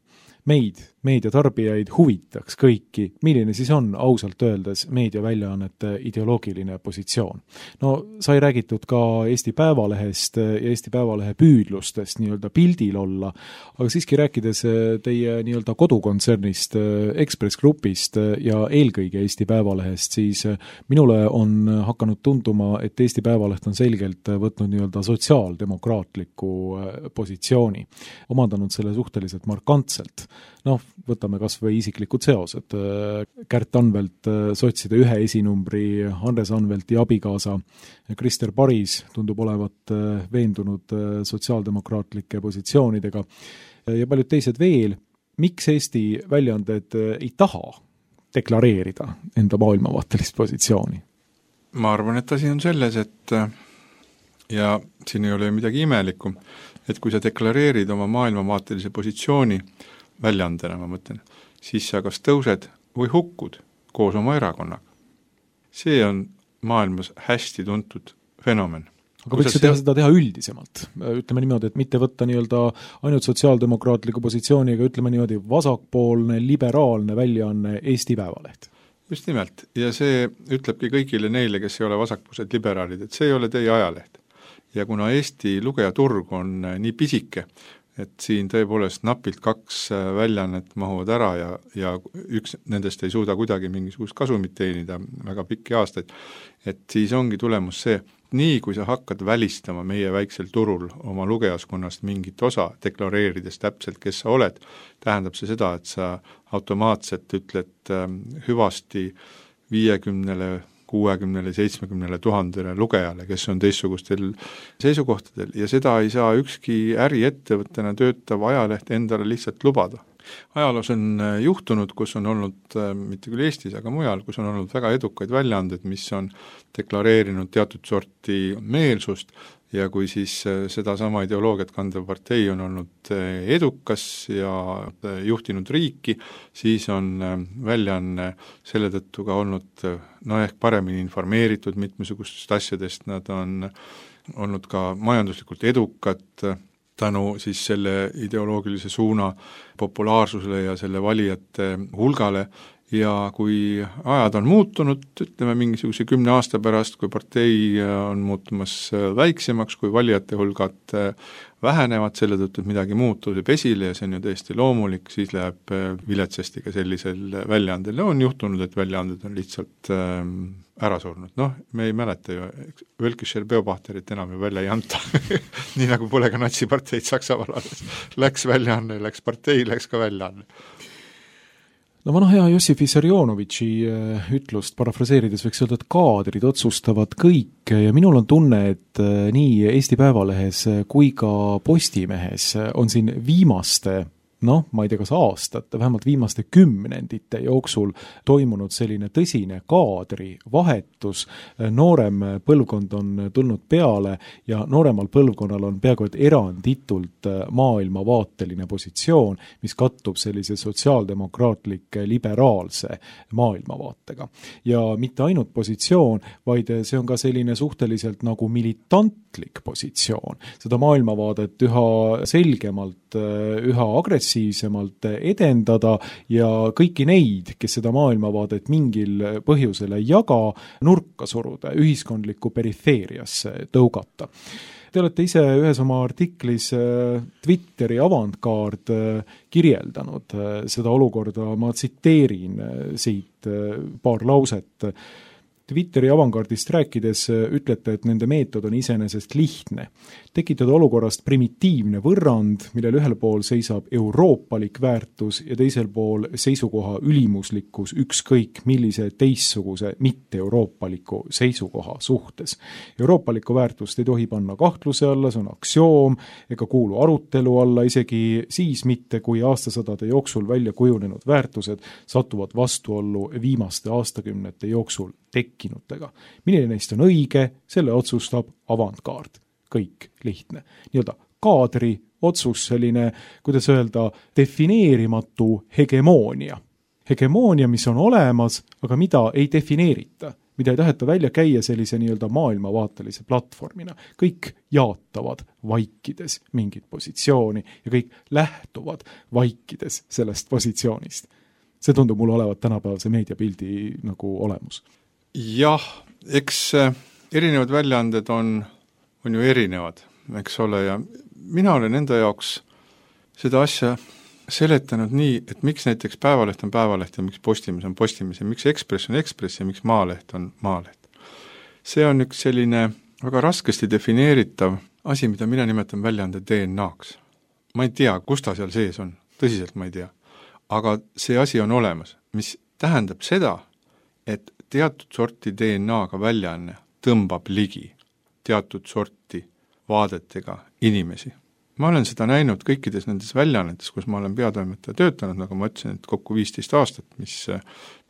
B: Meid, meediatarbijaid huvitaks kõiki, milline siis on ausalt öeldes meediaväljaannete ideoloogiline positsioon. No sai räägitud ka Eesti Päevalehest ja Eesti Päevalehe püüdlustest nii-öelda pildil olla, aga siiski rääkides teie nii-öelda kodukontsernist, Ekspress Grupist ja eelkõige Eesti Päevalehest, siis minule on hakanud tunduma, et Eesti Päevaleht on selgelt võtnud nii-öelda sotsiaaldemokraatliku positsiooni, omandanud selle suhteliselt markantselt. Noh, võtame kas või isiklikud seosed. Kärt Anvelt, sotside ühe esinumbri, Andres Anvelti abikaasa, Krister Paris tundub olevat veendunud sotsiaaldemokraatlike positsioonidega ja paljud teised veel. Miks Eesti väljaanded ei taha deklareerida enda maailmavaatelist positsiooni?
C: Ma arvan, et asi on selles, et ja siin ei ole midagi imelikku, et kui sa deklareerid oma maailmavaatelise positsiooni väljaandena, ma mõtlen, siis sa kas tõused või hukkud koos oma erakonnaga. See on maailmas hästi tuntud fenomen.
B: Aga võiks teha seda teha üldisemalt? Ütleme niimoodi, et mitte võtta nii-öelda ainult sotsiaaldemokraatliku positsiooni, aga ütleme niimoodi vasakpoolne, liberaalne väljaanne Eesti Päevaleht.
C: Just nimelt. Ja see ütlebki kõigile neile, kes ei ole vasakpoolsed liberaalid, et see ei ole teie ajaleht. Ja kuna Eesti lugejaturg on nii pisike, et siin tõepoolest napilt kaks väljaannet mahuvad ära ja, ja üks nendest ei suuda kuidagi mingisugust kasumit teenida väga pikki aastaid, et siis ongi tulemus see, nii kui sa hakkad välistama meie väiksel turul oma lugejaskonnast mingit osa, deklareerides täpselt, kes sa oled, tähendab see seda, et sa automaatselt ütled hüvasti viiekümnele kuuekümnele, seitsmekümnele tuhandele lugejale, kes on teistsugustel seisukohtadel ja seda ei saa ükski äriettevõttena töötav ajaleht endale lihtsalt lubada. Ajaloos on juhtunud, kus on olnud, mitte küll Eestis, aga mujal, kus on olnud väga edukaid väljaanded, mis on deklareerinud teatud sorti meelsust, ja kui siis seda sama ideoloogiat kandev partei on olnud edukas ja juhtinud riiki, siis on väljaanne selle tõttu ka olnud no ehk paremini informeeritud mitmesugustest asjadest, nad on olnud ka majanduslikult edukad tänu siis selle ideoloogilise suuna populaarsusele ja selle valijate hulgale, ja kui ajad on muutunud, ütleme mingisuguse kümne aasta pärast, kui partei on muutumas väiksemaks, kui valijate hulgad vähenevad selle tõttu, et midagi muud tuleb esile ja see on ju täiesti loomulik, siis läheb viletsasti ka sellisel väljaandel. On juhtunud, et väljaanded on lihtsalt ära surnud. Noh, me ei mäleta ju, Völkischer Beobachterit enam ju välja ei anta. Nii nagu pole ka natsiparteid Saksamaal alles. Läks väljaanne, läks partei, läks ka väljaanne.
B: No vana hea Jossif Vissarionovitši ütlust parafraseerides võiks öelda, et kaadrid otsustavad kõik ja minul on tunne, et nii Eesti Päevalehes kui ka Postimehes on siin viimaste noh, ma ei tea, kas aastate, vähemalt viimaste kümnendite jooksul toimunud selline tõsine kaadri vahetus, noorem põlvkond on tulnud peale ja nooremal põlvkonnal on peaaegu et eranditult maailmavaateline positsioon, mis kattub sellise sotsiaaldemokraatlik liberaalse maailmavaatega. Ja mitte ainult positsioon, vaid see on ka selline suhteliselt nagu militantlik positsioon. Seda maailmavaadet üha selgemalt, üha agressiivsemalt edendada ja kõiki neid, kes seda maailmavaadet mingil põhjusel ei jaga, nurka suruda, ühiskondlikku perifeeriasse tõugata. Te olete ise ühes oma artiklis Twitteri avantgaard kirjeldanud seda olukorda, ma tsiteerin siit paar lauset. Twitteri avantgaardist rääkides ütlete, et nende meetod on iseenesest lihtne. Tekitada olukorrast primitiivne võrrand, millel ühel pool seisab euroopalik väärtus ja teisel pool seisukoha ülimuslikkus ükskõik millise teistsuguse mitte-euroopaliku seisukoha suhtes. Euroopalikku väärtust ei tohi panna kahtluse alla, see on aktsioom, ega kuulu arutelu alla, isegi siis mitte, kui aastasadade jooksul välja kujunenud väärtused satuvad vastuollu viimaste aastakümnete jooksul tekkinutega. Milline neist on õige, selle otsustab avantgaard. Kõik lihtne. Nii-öelda kaadri otsus selline, kuidas öelda, defineerimatu hegemoonia. Hegemoonia, mis on olemas, aga mida ei defineerita, mida ei taheta välja käia sellise nii-öelda maailmavaatelise platvormina. Kõik jaatavad vaikides mingit positsiooni ja kõik lähtuvad vaikides sellest positsioonist. See tundub mulle olevat tänapäevase meediapildi nagu olemus.
C: Jah, eks erinevad väljaanded on, on ju erinevad, eks ole, ja mina olen enda jaoks seda asja seletanud nii, et miks näiteks Päevaleht on Päevaleht ja miks Postimees on Postimees ja miks Ekspress on Ekspress ja miks Maaleht on Maaleht. See on üks selline väga raskesti defineeritav asi, mida mina nimetan väljaande D N A-ks. Ma ei tea, kus ta seal sees on, tõsiselt ma ei tea, aga see asi on olemas, mis tähendab seda, et teatud sorti D N A-ga väljaanne tõmbab ligi teatud sorti vaadetega inimesi. Ma olen seda näinud kõikides nendes väljaannetes, kus ma olen peatoimetaja töötanud, nagu ma ütlesin, et kokku viisteist aastat, mis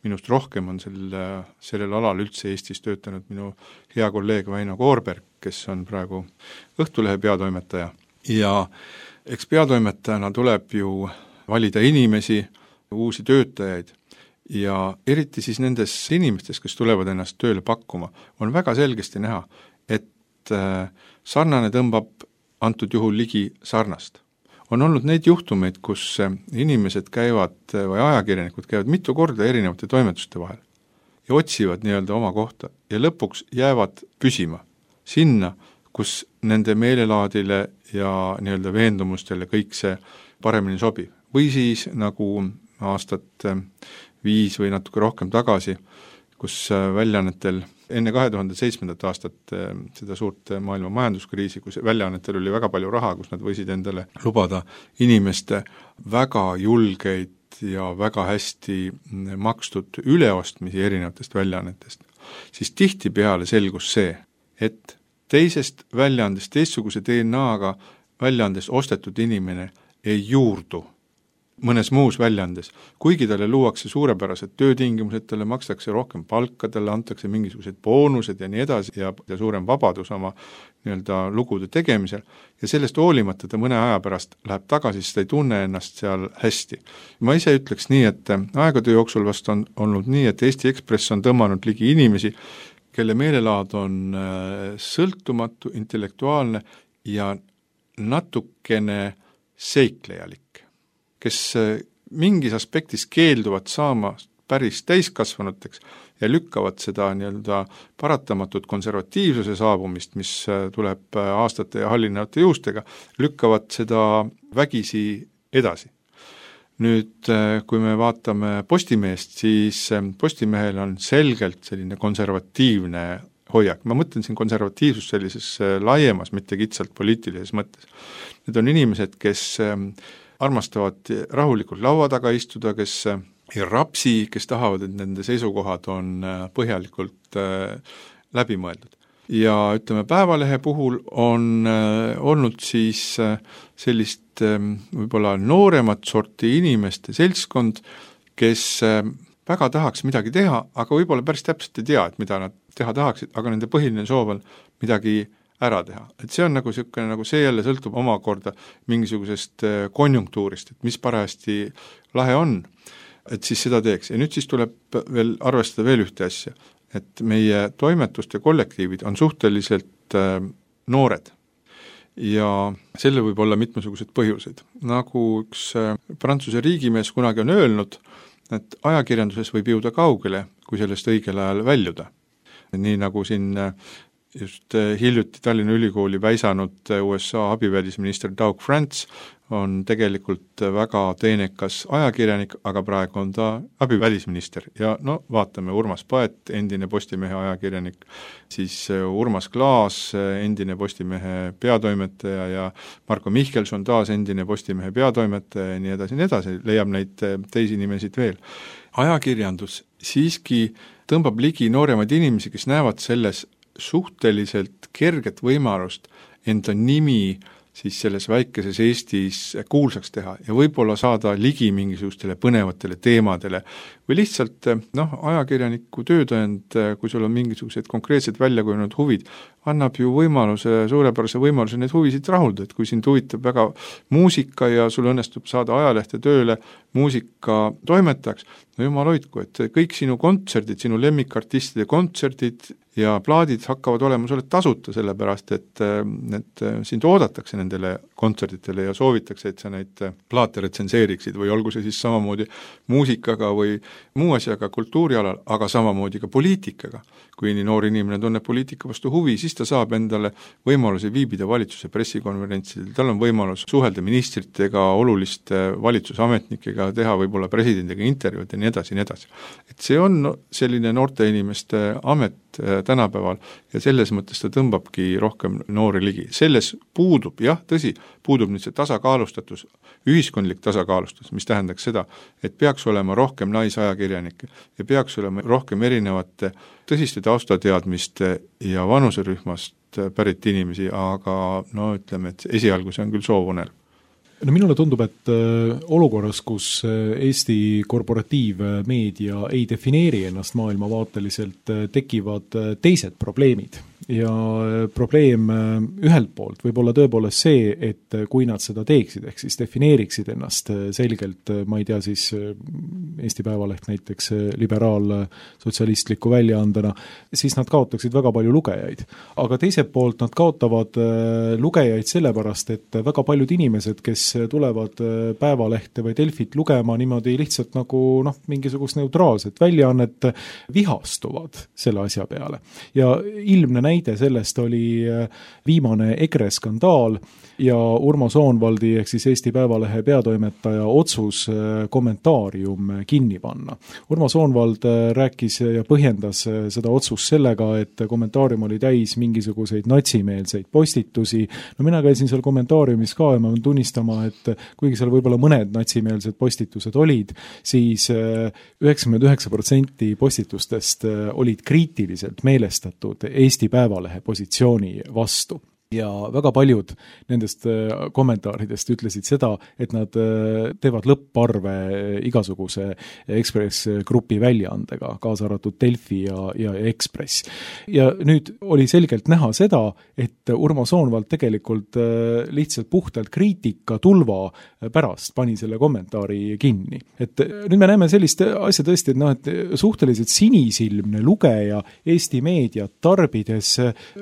C: minust rohkem on selle, sellel alal üldse Eestis töötanud minu hea kolleeg Väino Koorberg, kes on praegu Õhtulehe peatoimetaja. Ja eks peatoimetajana tuleb ju valida inimesi, uusi töötajaid, ja eriti siis nendes inimestes, kes tulevad ennast tööle pakkuma, on väga selgesti näha, et sarnane tõmbab antud juhul ligi sarnast. On olnud neid juhtumeid, kus inimesed käivad või ajakirjanikud käivad mitu korda erinevate toimetuste vahel ja otsivad nii-öelda oma kohta ja lõpuks jäävad püsima sinna, kus nende meelelaadile ja nii-öelda veendumustele kõik see paremini sobib. Või siis nagu aastat viis või natuke rohkem tagasi, kus väljaannetel enne kahe tuhande seitsmendat aastat seda suurt maailma majanduskriisi, kus väljaannetel oli väga palju raha, kus nad võisid endale lubada inimeste väga julgeid ja väga hästi makstud üleostmisi erinevatest väljaannetest, siis tihtipeale selgus see, et teisest väljaandest, teistsuguse D N A-ga väljaandest ostetud inimene ei juurdu mõnes muus väljaandes, kuigi talle luuakse suurepärased töötingimused, talle makstakse rohkem palka, talle antakse mingisugused boonused ja nii edasi ja, ja suurem vabadus oma nii-öelda lugude tegemisel ja sellest hoolimata ta mõne aja pärast läheb tagasi, sest ta ei tunne ennast seal hästi. Ma ise ütleks nii, et aegade jooksul vast on olnud nii, et Eesti Ekspress on tõmmanud ligi inimesi, kelle meelelaad on sõltumatu, intellektuaalne ja natukene seiklejalik, kes mingis aspektis keelduvad saama päris täiskasvanuteks ja lükkavad seda nii-öelda paratamatut konservatiivsuse saabumist, mis tuleb aastate ja hallinevate juustega, lükkavad seda vägisi edasi. Nüüd, kui me vaatame Postimeest, siis Postimehel on selgelt selline konservatiivne hoiak. Ma mõtlen siin konservatiivsus sellises laiemas, mitte kitsalt poliitilises mõttes. Need on inimesed, kes armastavad rahulikult laua taga istuda, kes ei rapsi, kes tahavad, et nende seisukohad on põhjalikult läbi mõeldud. Ja ütleme, Päevalehe puhul on olnud siis sellist võib-olla nooremat sorti inimeste seltskond, kes väga tahaks midagi teha, aga võib-olla päris täpselt ei tea, et mida nad teha tahaksid, aga nende põhiline soov on midagi ära teha. Et see on nagu selline, nagu see jälle sõltub omakorda mingisugusest konjunktuurist, et mis parajasti lahe on, et siis seda teeks. Ja nüüd siis tuleb veel arvestada veel ühte asja, et meie toimetuste kollektiivid on suhteliselt äh, noored ja selle võib olla mitmesugused põhjused. Nagu üks äh, Prantsuse riigimees kunagi on öelnud, et ajakirjanduses võib jõuda kaugele, kui sellest õigel ajal väljuda. Nii nagu siin äh, just hiljuti Tallinna Ülikooli väisanud U S A abivälisminister Doug France on tegelikult väga teenekas ajakirjanik, aga praegu on ta abivälisminister. Ja no vaatame, Urmas Paet, endine Postimehe ajakirjanik, siis Urmas Klaas, endine Postimehe peatoimetaja ja Marko Mihkelson, taas endine Postimehe peatoimetaja ja nii edasi, nii edasi, leiab neid teisi nimesid veel. Ajakirjandus siiski tõmbab ligi nooremaid inimesi, kes näevad selles suhteliselt kerget võimalust enda nimi siis selles väikeses Eestis kuulsaks teha ja võib-olla saada ligi mingisugustele põnevatele teemadele või lihtsalt noh, ajakirjaniku töötõend, kui sul on mingisugused konkreetsed väljakujunenud huvid, annab ju võimaluse, suurepärase võimaluse neid huvisid rahuldada, et kui sind huvitab väga muusika ja sul õnnestub saada ajalehte tööle muusika toimetajaks, no jumal hoidku, et kõik sinu kontserdid, sinu lemmikartistide kontserdid ja plaadid hakkavad olema sulle tasuta, sellepärast et, et sind oodatakse nendele kontserditele ja soovitakse, et sa neid plaate retsenseeriksid või olgu see siis samamoodi muusikaga või muu asjaga kultuurialal, aga samamoodi ka poliitikaga. Kui nii noor inimene tunneb poliitika vastu huvi, siis ta saab endale võimaluse viibida valitsuse pressikonverentsidel, tal on võimalus suhelda ministritega, oluliste valitsusametnikega, teha võib-olla presidendiga intervjuud ja nii edasi, nii edasi. Et see on selline noorte inimeste amet tänapäeval ja selles mõttes ta tõmbabki rohkem noori ligi. Selles puudub, jah, tõsi, puudub nüüd see tasakaalustatus, ühiskondlik tasakaalustus, mis tähendaks seda, et peaks olema rohkem naisajakirjanikke ja peaks olema rohkem erinevate tõsiste taustateadmiste ja vanuserühmast pärit inimesi, aga no ütleme, et esialgu see on küll soovunel.
B: No minule tundub, et olukorras, kus Eesti korporatiivmeedia ei defineeri ennast maailmavaateliselt, tekivad teised probleemid. Ja probleem ühelt poolt võib olla tõepoolest see, et kui nad seda teeksid, ehk siis defineeriksid ennast selgelt, ma ei tea, siis Eesti Päevaleht näiteks liberaal-sotsialistliku väljaandena, siis nad kaotaksid väga palju lugejaid. Aga teiselt poolt nad kaotavad lugejaid sellepärast, et väga paljud inimesed, kes tulevad Päevalehte või Delfit lugema niimoodi lihtsalt nagu noh, mingisugust neutraalset väljaannet, vihastuvad selle asja peale. Ja ilmne näide sellest oli viimane EKRE skandaal ja Urmo Soonvaldi ehk siis Eesti Päevalehe peatoimetaja otsus kommentaarium kinni panna. Urmo Soonvald rääkis ja põhjendas seda otsust sellega, et kommentaarium oli täis mingisuguseid natsimeelseid postitusi. No mina käisin seal kommentaariumis ka ja ma võin tunnistama, et kuigi seal võib-olla mõned natsimeelsed postitused olid, siis üheksakümmend üheksa protsenti postitustest olid kriitiliselt meelestatud Eesti Päevalehe positsiooni vastu. ja väga paljud nendest kommentaaridest ütlesid seda, et nad teevad lõpparve igasuguse Ekspress Grupi väljaandega, kaasa arvatud Delfi ja, ja Ekspress. Ja nüüd oli selgelt näha seda, et Urmo Soonvald tegelikult lihtsalt puhtalt kriitika tulva pärast pani selle kommentaari kinni. Et nüüd me näeme sellist asja tõesti, et, no, et suhteliselt sinisilmne lugeja Eesti meediat tarbides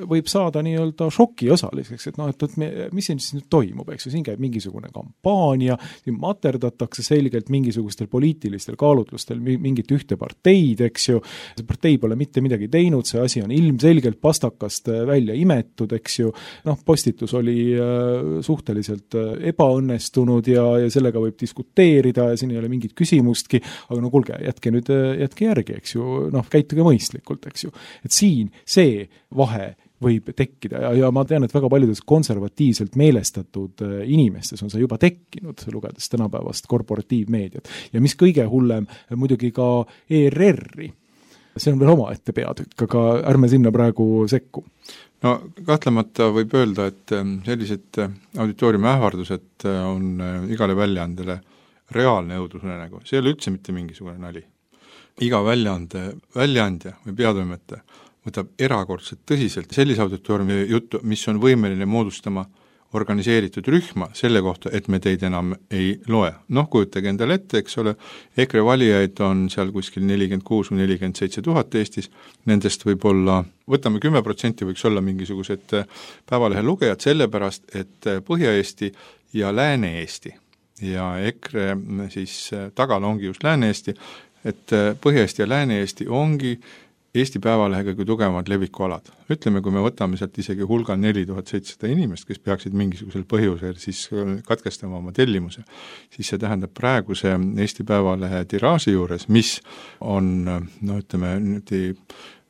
B: võib saada nii-öelda šoki osaliseks, et noh, et, et me, mis siin siis nüüd toimub, eks ju, siin käib mingisugune kampaania, siin materdatakse selgelt mingisugustel poliitilistel kaalutlustel mingit ühte parteid, eks ju, see partei pole mitte midagi teinud, see asi on ilmselgelt pastakast välja imetud, eks ju, noh, postitus oli suhteliselt ebaõnnestunud ja, ja sellega võib diskuteerida ja siin ei ole mingit küsimustki, aga no kuulge, jätke nüüd, jätke järgi, eks ju, noh, käituge mõistlikult, eks ju, et siin see vahe võib tekkida ja, ja ma tean, et väga paljudes konservatiivselt meelestatud inimestes on see juba tekkinud, lugedes tänapäevast korporatiivmeediat. Ja mis kõige hullem, muidugi ka E R R-i. See on veel oma ette peatükk, aga ärme sinna praegu sekku.
C: No kahtlemata võib öelda, et sellised auditooriumi ähvardused on igale väljaandele reaalne õudusunenägu. See ei ole üldse mitte mingisugune nali. Iga väljaande, väljaandja või peatoimetaja võtab erakordselt tõsiselt sellise auditooriumi juttu, mis on võimeline moodustama organiseeritud rühma selle kohta, et me teid enam ei loe. Noh, kujutage endale ette, eks ole, EKRE valijaid on seal kuskil nelikümmend kuus või nelikümmend seitse tuhat Eestis, nendest võib olla, võtame kümme protsenti võiks olla mingisugused päevalehe lugejad, sellepärast, et Põhja-Eesti ja Lääne-Eesti ja EKRE siis tagal ongi just Lääne-Eesti, et Põhja-Eesti ja Lääne-Eesti ongi Eesti Päevalehega kui tugevamad levikualad. Ütleme, kui me võtame sealt isegi hulga neli tuhat seitsesada inimest, kes peaksid mingisugusel põhjusel siis katkestama oma tellimuse, siis see tähendab praeguse Eesti Päevalehe tiraaži juures, mis on, no ütleme,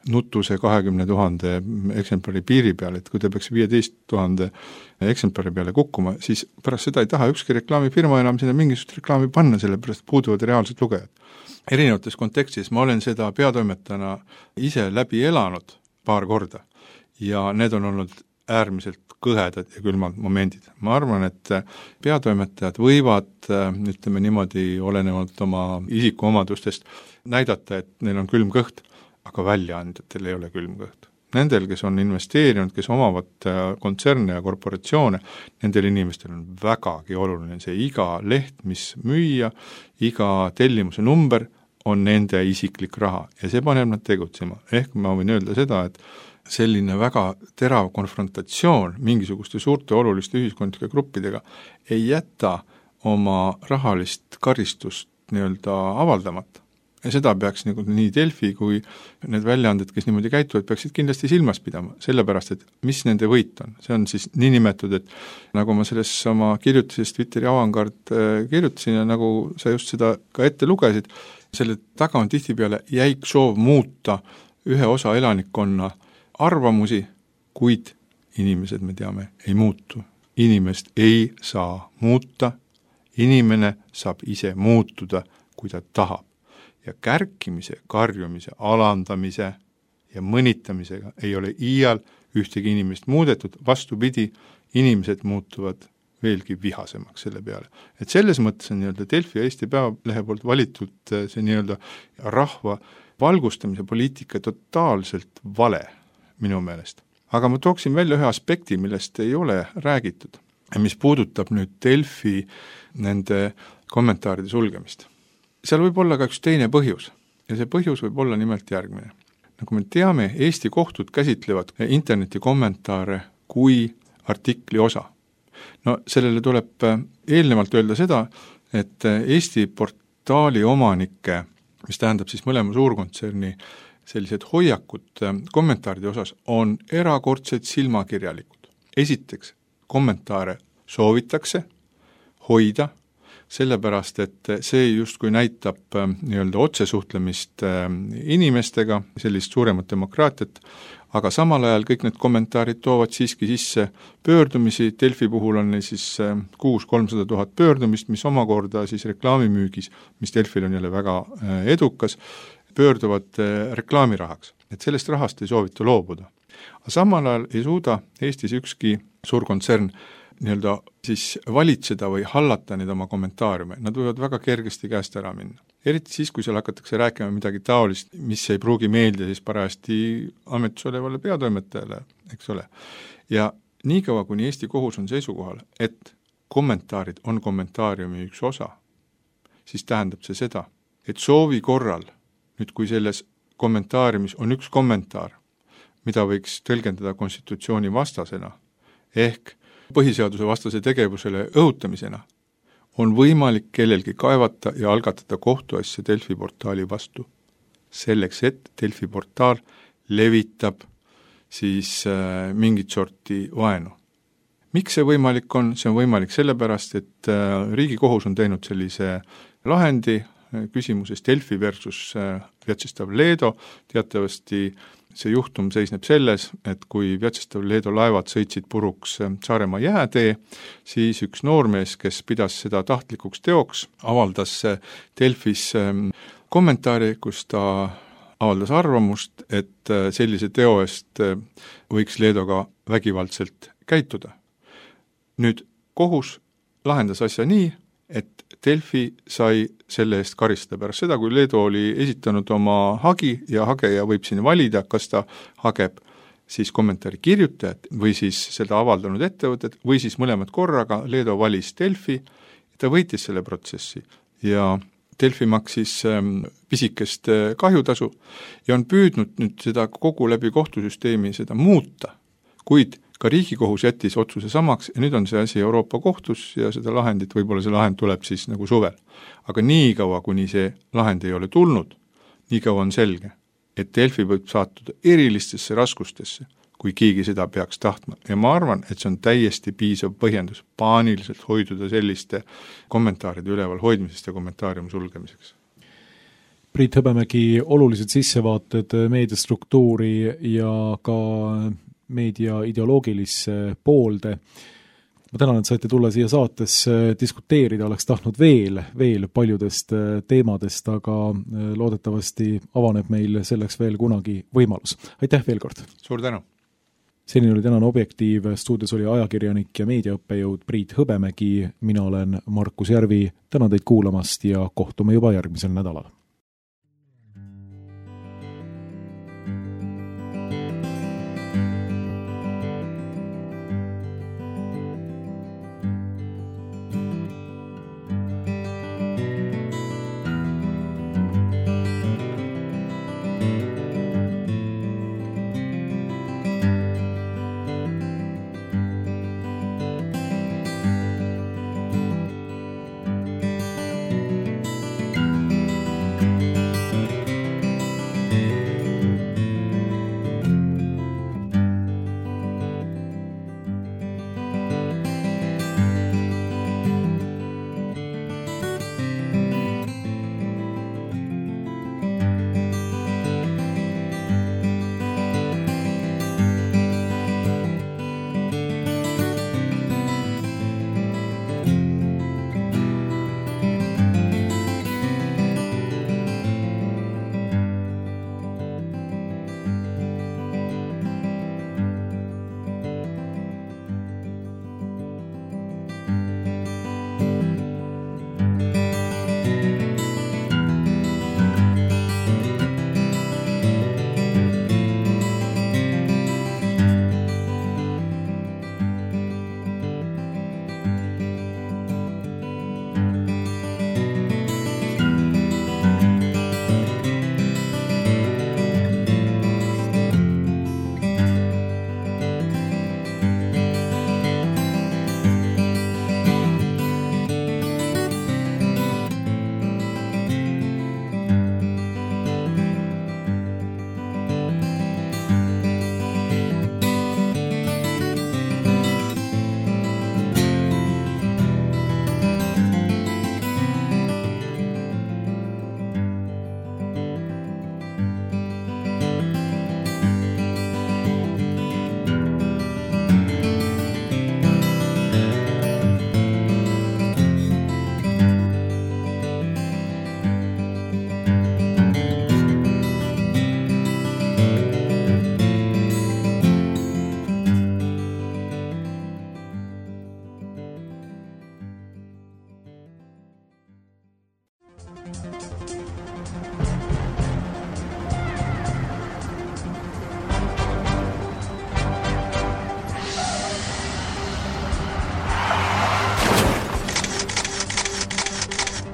C: nutuse kahekümne tuhande eksemplari piiri peal, et kui ta peaks viieteist tuhande eksemplari peale kukkuma, siis pärast seda ei taha ükski reklaamifirma enam sinna mingisugust reklaami panna, sellepärast puuduvad reaalsed lugejad. Erinevates kontekstis ma olen seda peatoimetajana ise läbi elanud paar korda ja need on olnud äärmiselt kõhedad ja külmad momendid. Ma arvan, et peatoimetajad võivad, ütleme niimoodi, olenevalt oma isikuomadustest näidata, et neil on külm kõht, aga väljaandjatel ei ole külm kõht. Nendel, kes on investeerinud, kes omavad kontserne ja korporatsioone, nendel inimestel on vägagi oluline see iga leht, mis müüa, iga tellimuse number on nende isiklik raha ja see paneb nad tegutsema. Ehk ma võin öelda seda, et selline väga terav konfrontatsioon mingisuguste suurte oluliste ühiskondlike gruppidega ei jäta oma rahalist karistust nii-öelda avaldamata. Ja seda peaks nagu nii Delfi kui need väljaanded, kes niimoodi käituvad, peaksid kindlasti silmas pidama, sellepärast, et mis nende võit on. See on siis nii nimetud, et nagu ma selles oma kirjutises Twitteri avangard kirjutasin ja nagu sa just seda ka ette lugesid, selle taga on tihtipeale jäik soov muuta ühe osa elanikkonna arvamusi, kuid inimesed, me teame, ei muutu. Inimest ei saa muuta, inimene saab ise muutuda, kui ta tahab. Ja kärkimise, karjumise, alandamise ja mõnitamisega ei ole iial ühtegi inimest muudetud, vastupidi, inimesed muutuvad veelgi vihasemaks selle peale. Et selles mõttes on nii-öelda Delfi ja Eesti Päevalehe poolt valitud see nii-öelda rahva valgustamise poliitika totaalselt vale minu meelest. Aga ma tooksin välja ühe aspekti, millest ei ole räägitud, mis puudutab nüüd Delfi nende kommentaaride sulgemist. Seal võib olla ka üks teine põhjus ja see põhjus võib olla nimelt järgmine. Nagu me teame, Eesti kohtud käsitlevad interneti kommentaare kui artikli osa. No sellele tuleb eelnevalt öelda seda, et Eesti portaali omanike, mis tähendab siis mõlema suurkontserni sellised hoiakud kommentaaride osas, on erakordselt silmakirjalikud. Esiteks, kommentaare soovitakse hoida, sellepärast, et see justkui näitab nii-öelda otsesuhtlemist inimestega, sellist suuremat demokraatiat, aga samal ajal kõik need kommentaarid toovad siiski sisse pöördumisi, Delfi puhul on siis kuus kolmsada tuhat pöördumist, mis omakorda siis reklaamimüügis, mis Delfil on jälle väga edukas, pöörduvad reklaamirahaks. Et sellest rahast ei soovita loobuda. aga samal ajal ei suuda Eestis ükski suur kontsern nii-öelda siis valitseda või hallata neid oma kommentaariume, nad võivad väga kergesti käest ära minna. Eriti siis, kui seal hakatakse rääkima midagi taolist, mis ei pruugi meeldida siis parajasti ametis olevale peatoimetajale, eks ole. Ja niikaua, kuni Eesti kohus on seisukohal, et kommentaarid on kommentaariumi üks osa, siis tähendab see seda, et soovi korral, nüüd kui selles kommentaariumis on üks kommentaar, mida võiks tõlgendada konstitutsiooni vastasena, ehk põhiseaduse vastase tegevusele õhutamisena, on võimalik kellelgi kaevata ja algatada kohtuasja Delfi portaali vastu. Selleks, et Delfi portaal levitab siis äh, mingit sorti vaenu. Miks see võimalik on? See on võimalik sellepärast, et äh, Riigikohus on teinud sellise lahendi äh, küsimuses Delfi versus äh, Vjatšeslav Leedo. Teatavasti see juhtum seisneb selles, et kui Vjatšeslav Leedo laevad sõitsid puruks Saaremaa jäätee, siis üks noormees, kes pidas seda tahtlikuks teoks, avaldas Delfis kommentaari, kus ta avaldas arvamust, et sellise teo eest võiks Leedoga vägivaldselt käituda. Nüüd kohus lahendas asja nii, et Delfi sai selle eest karistada pärast seda, kui Leedo oli esitanud oma hagi ja hageja võib siin valida, kas ta hageb siis kommentaari kirjutajat või siis seda avaldanud ettevõtet või siis mõlemad korraga. Leedo valis Delfi, ta võitis selle protsessi ja Delfi maksis pisikest kahjutasu ja on püüdnud nüüd seda kogu läbi kohtusüsteemi seda muuta, kuid ka Riigikohus jättis otsuse samaks ja nüüd on see asi Euroopa kohtus ja seda lahendit, võib-olla see lahend tuleb siis nagu suvel. Aga nii kaua, kuni see lahend ei ole tulnud, nii kaua on selge, et Delfi võib saatuda erilistesse raskustesse, kui keegi seda peaks tahtma. Ja ma arvan, et see on täiesti piisav põhjendus paaniliselt hoiduda selliste kommentaaride üleval hoidmisest ja kommentaariumi sulgemiseks.
B: Priit Hõbemägi, olulised sissevaated meediastruktuuri ja ka meedia ideoloogilisse poolde. Ma tänan, et saite tulla siia saatesse diskuteerida, oleks tahtnud veel, veel paljudest teemadest, aga loodetavasti avaneb meil selleks veel kunagi võimalus. Aitäh veel kord!
C: Suur tänu!
B: Selline oli tänane Objektiiv, stuudios oli ajakirjanik ja meediaõppejõud Priit Hõbemägi, mina olen Markus Järvi, tänan teid kuulamast ja kohtume juba järgmisel nädalal.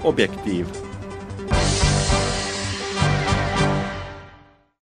A: Objektiiv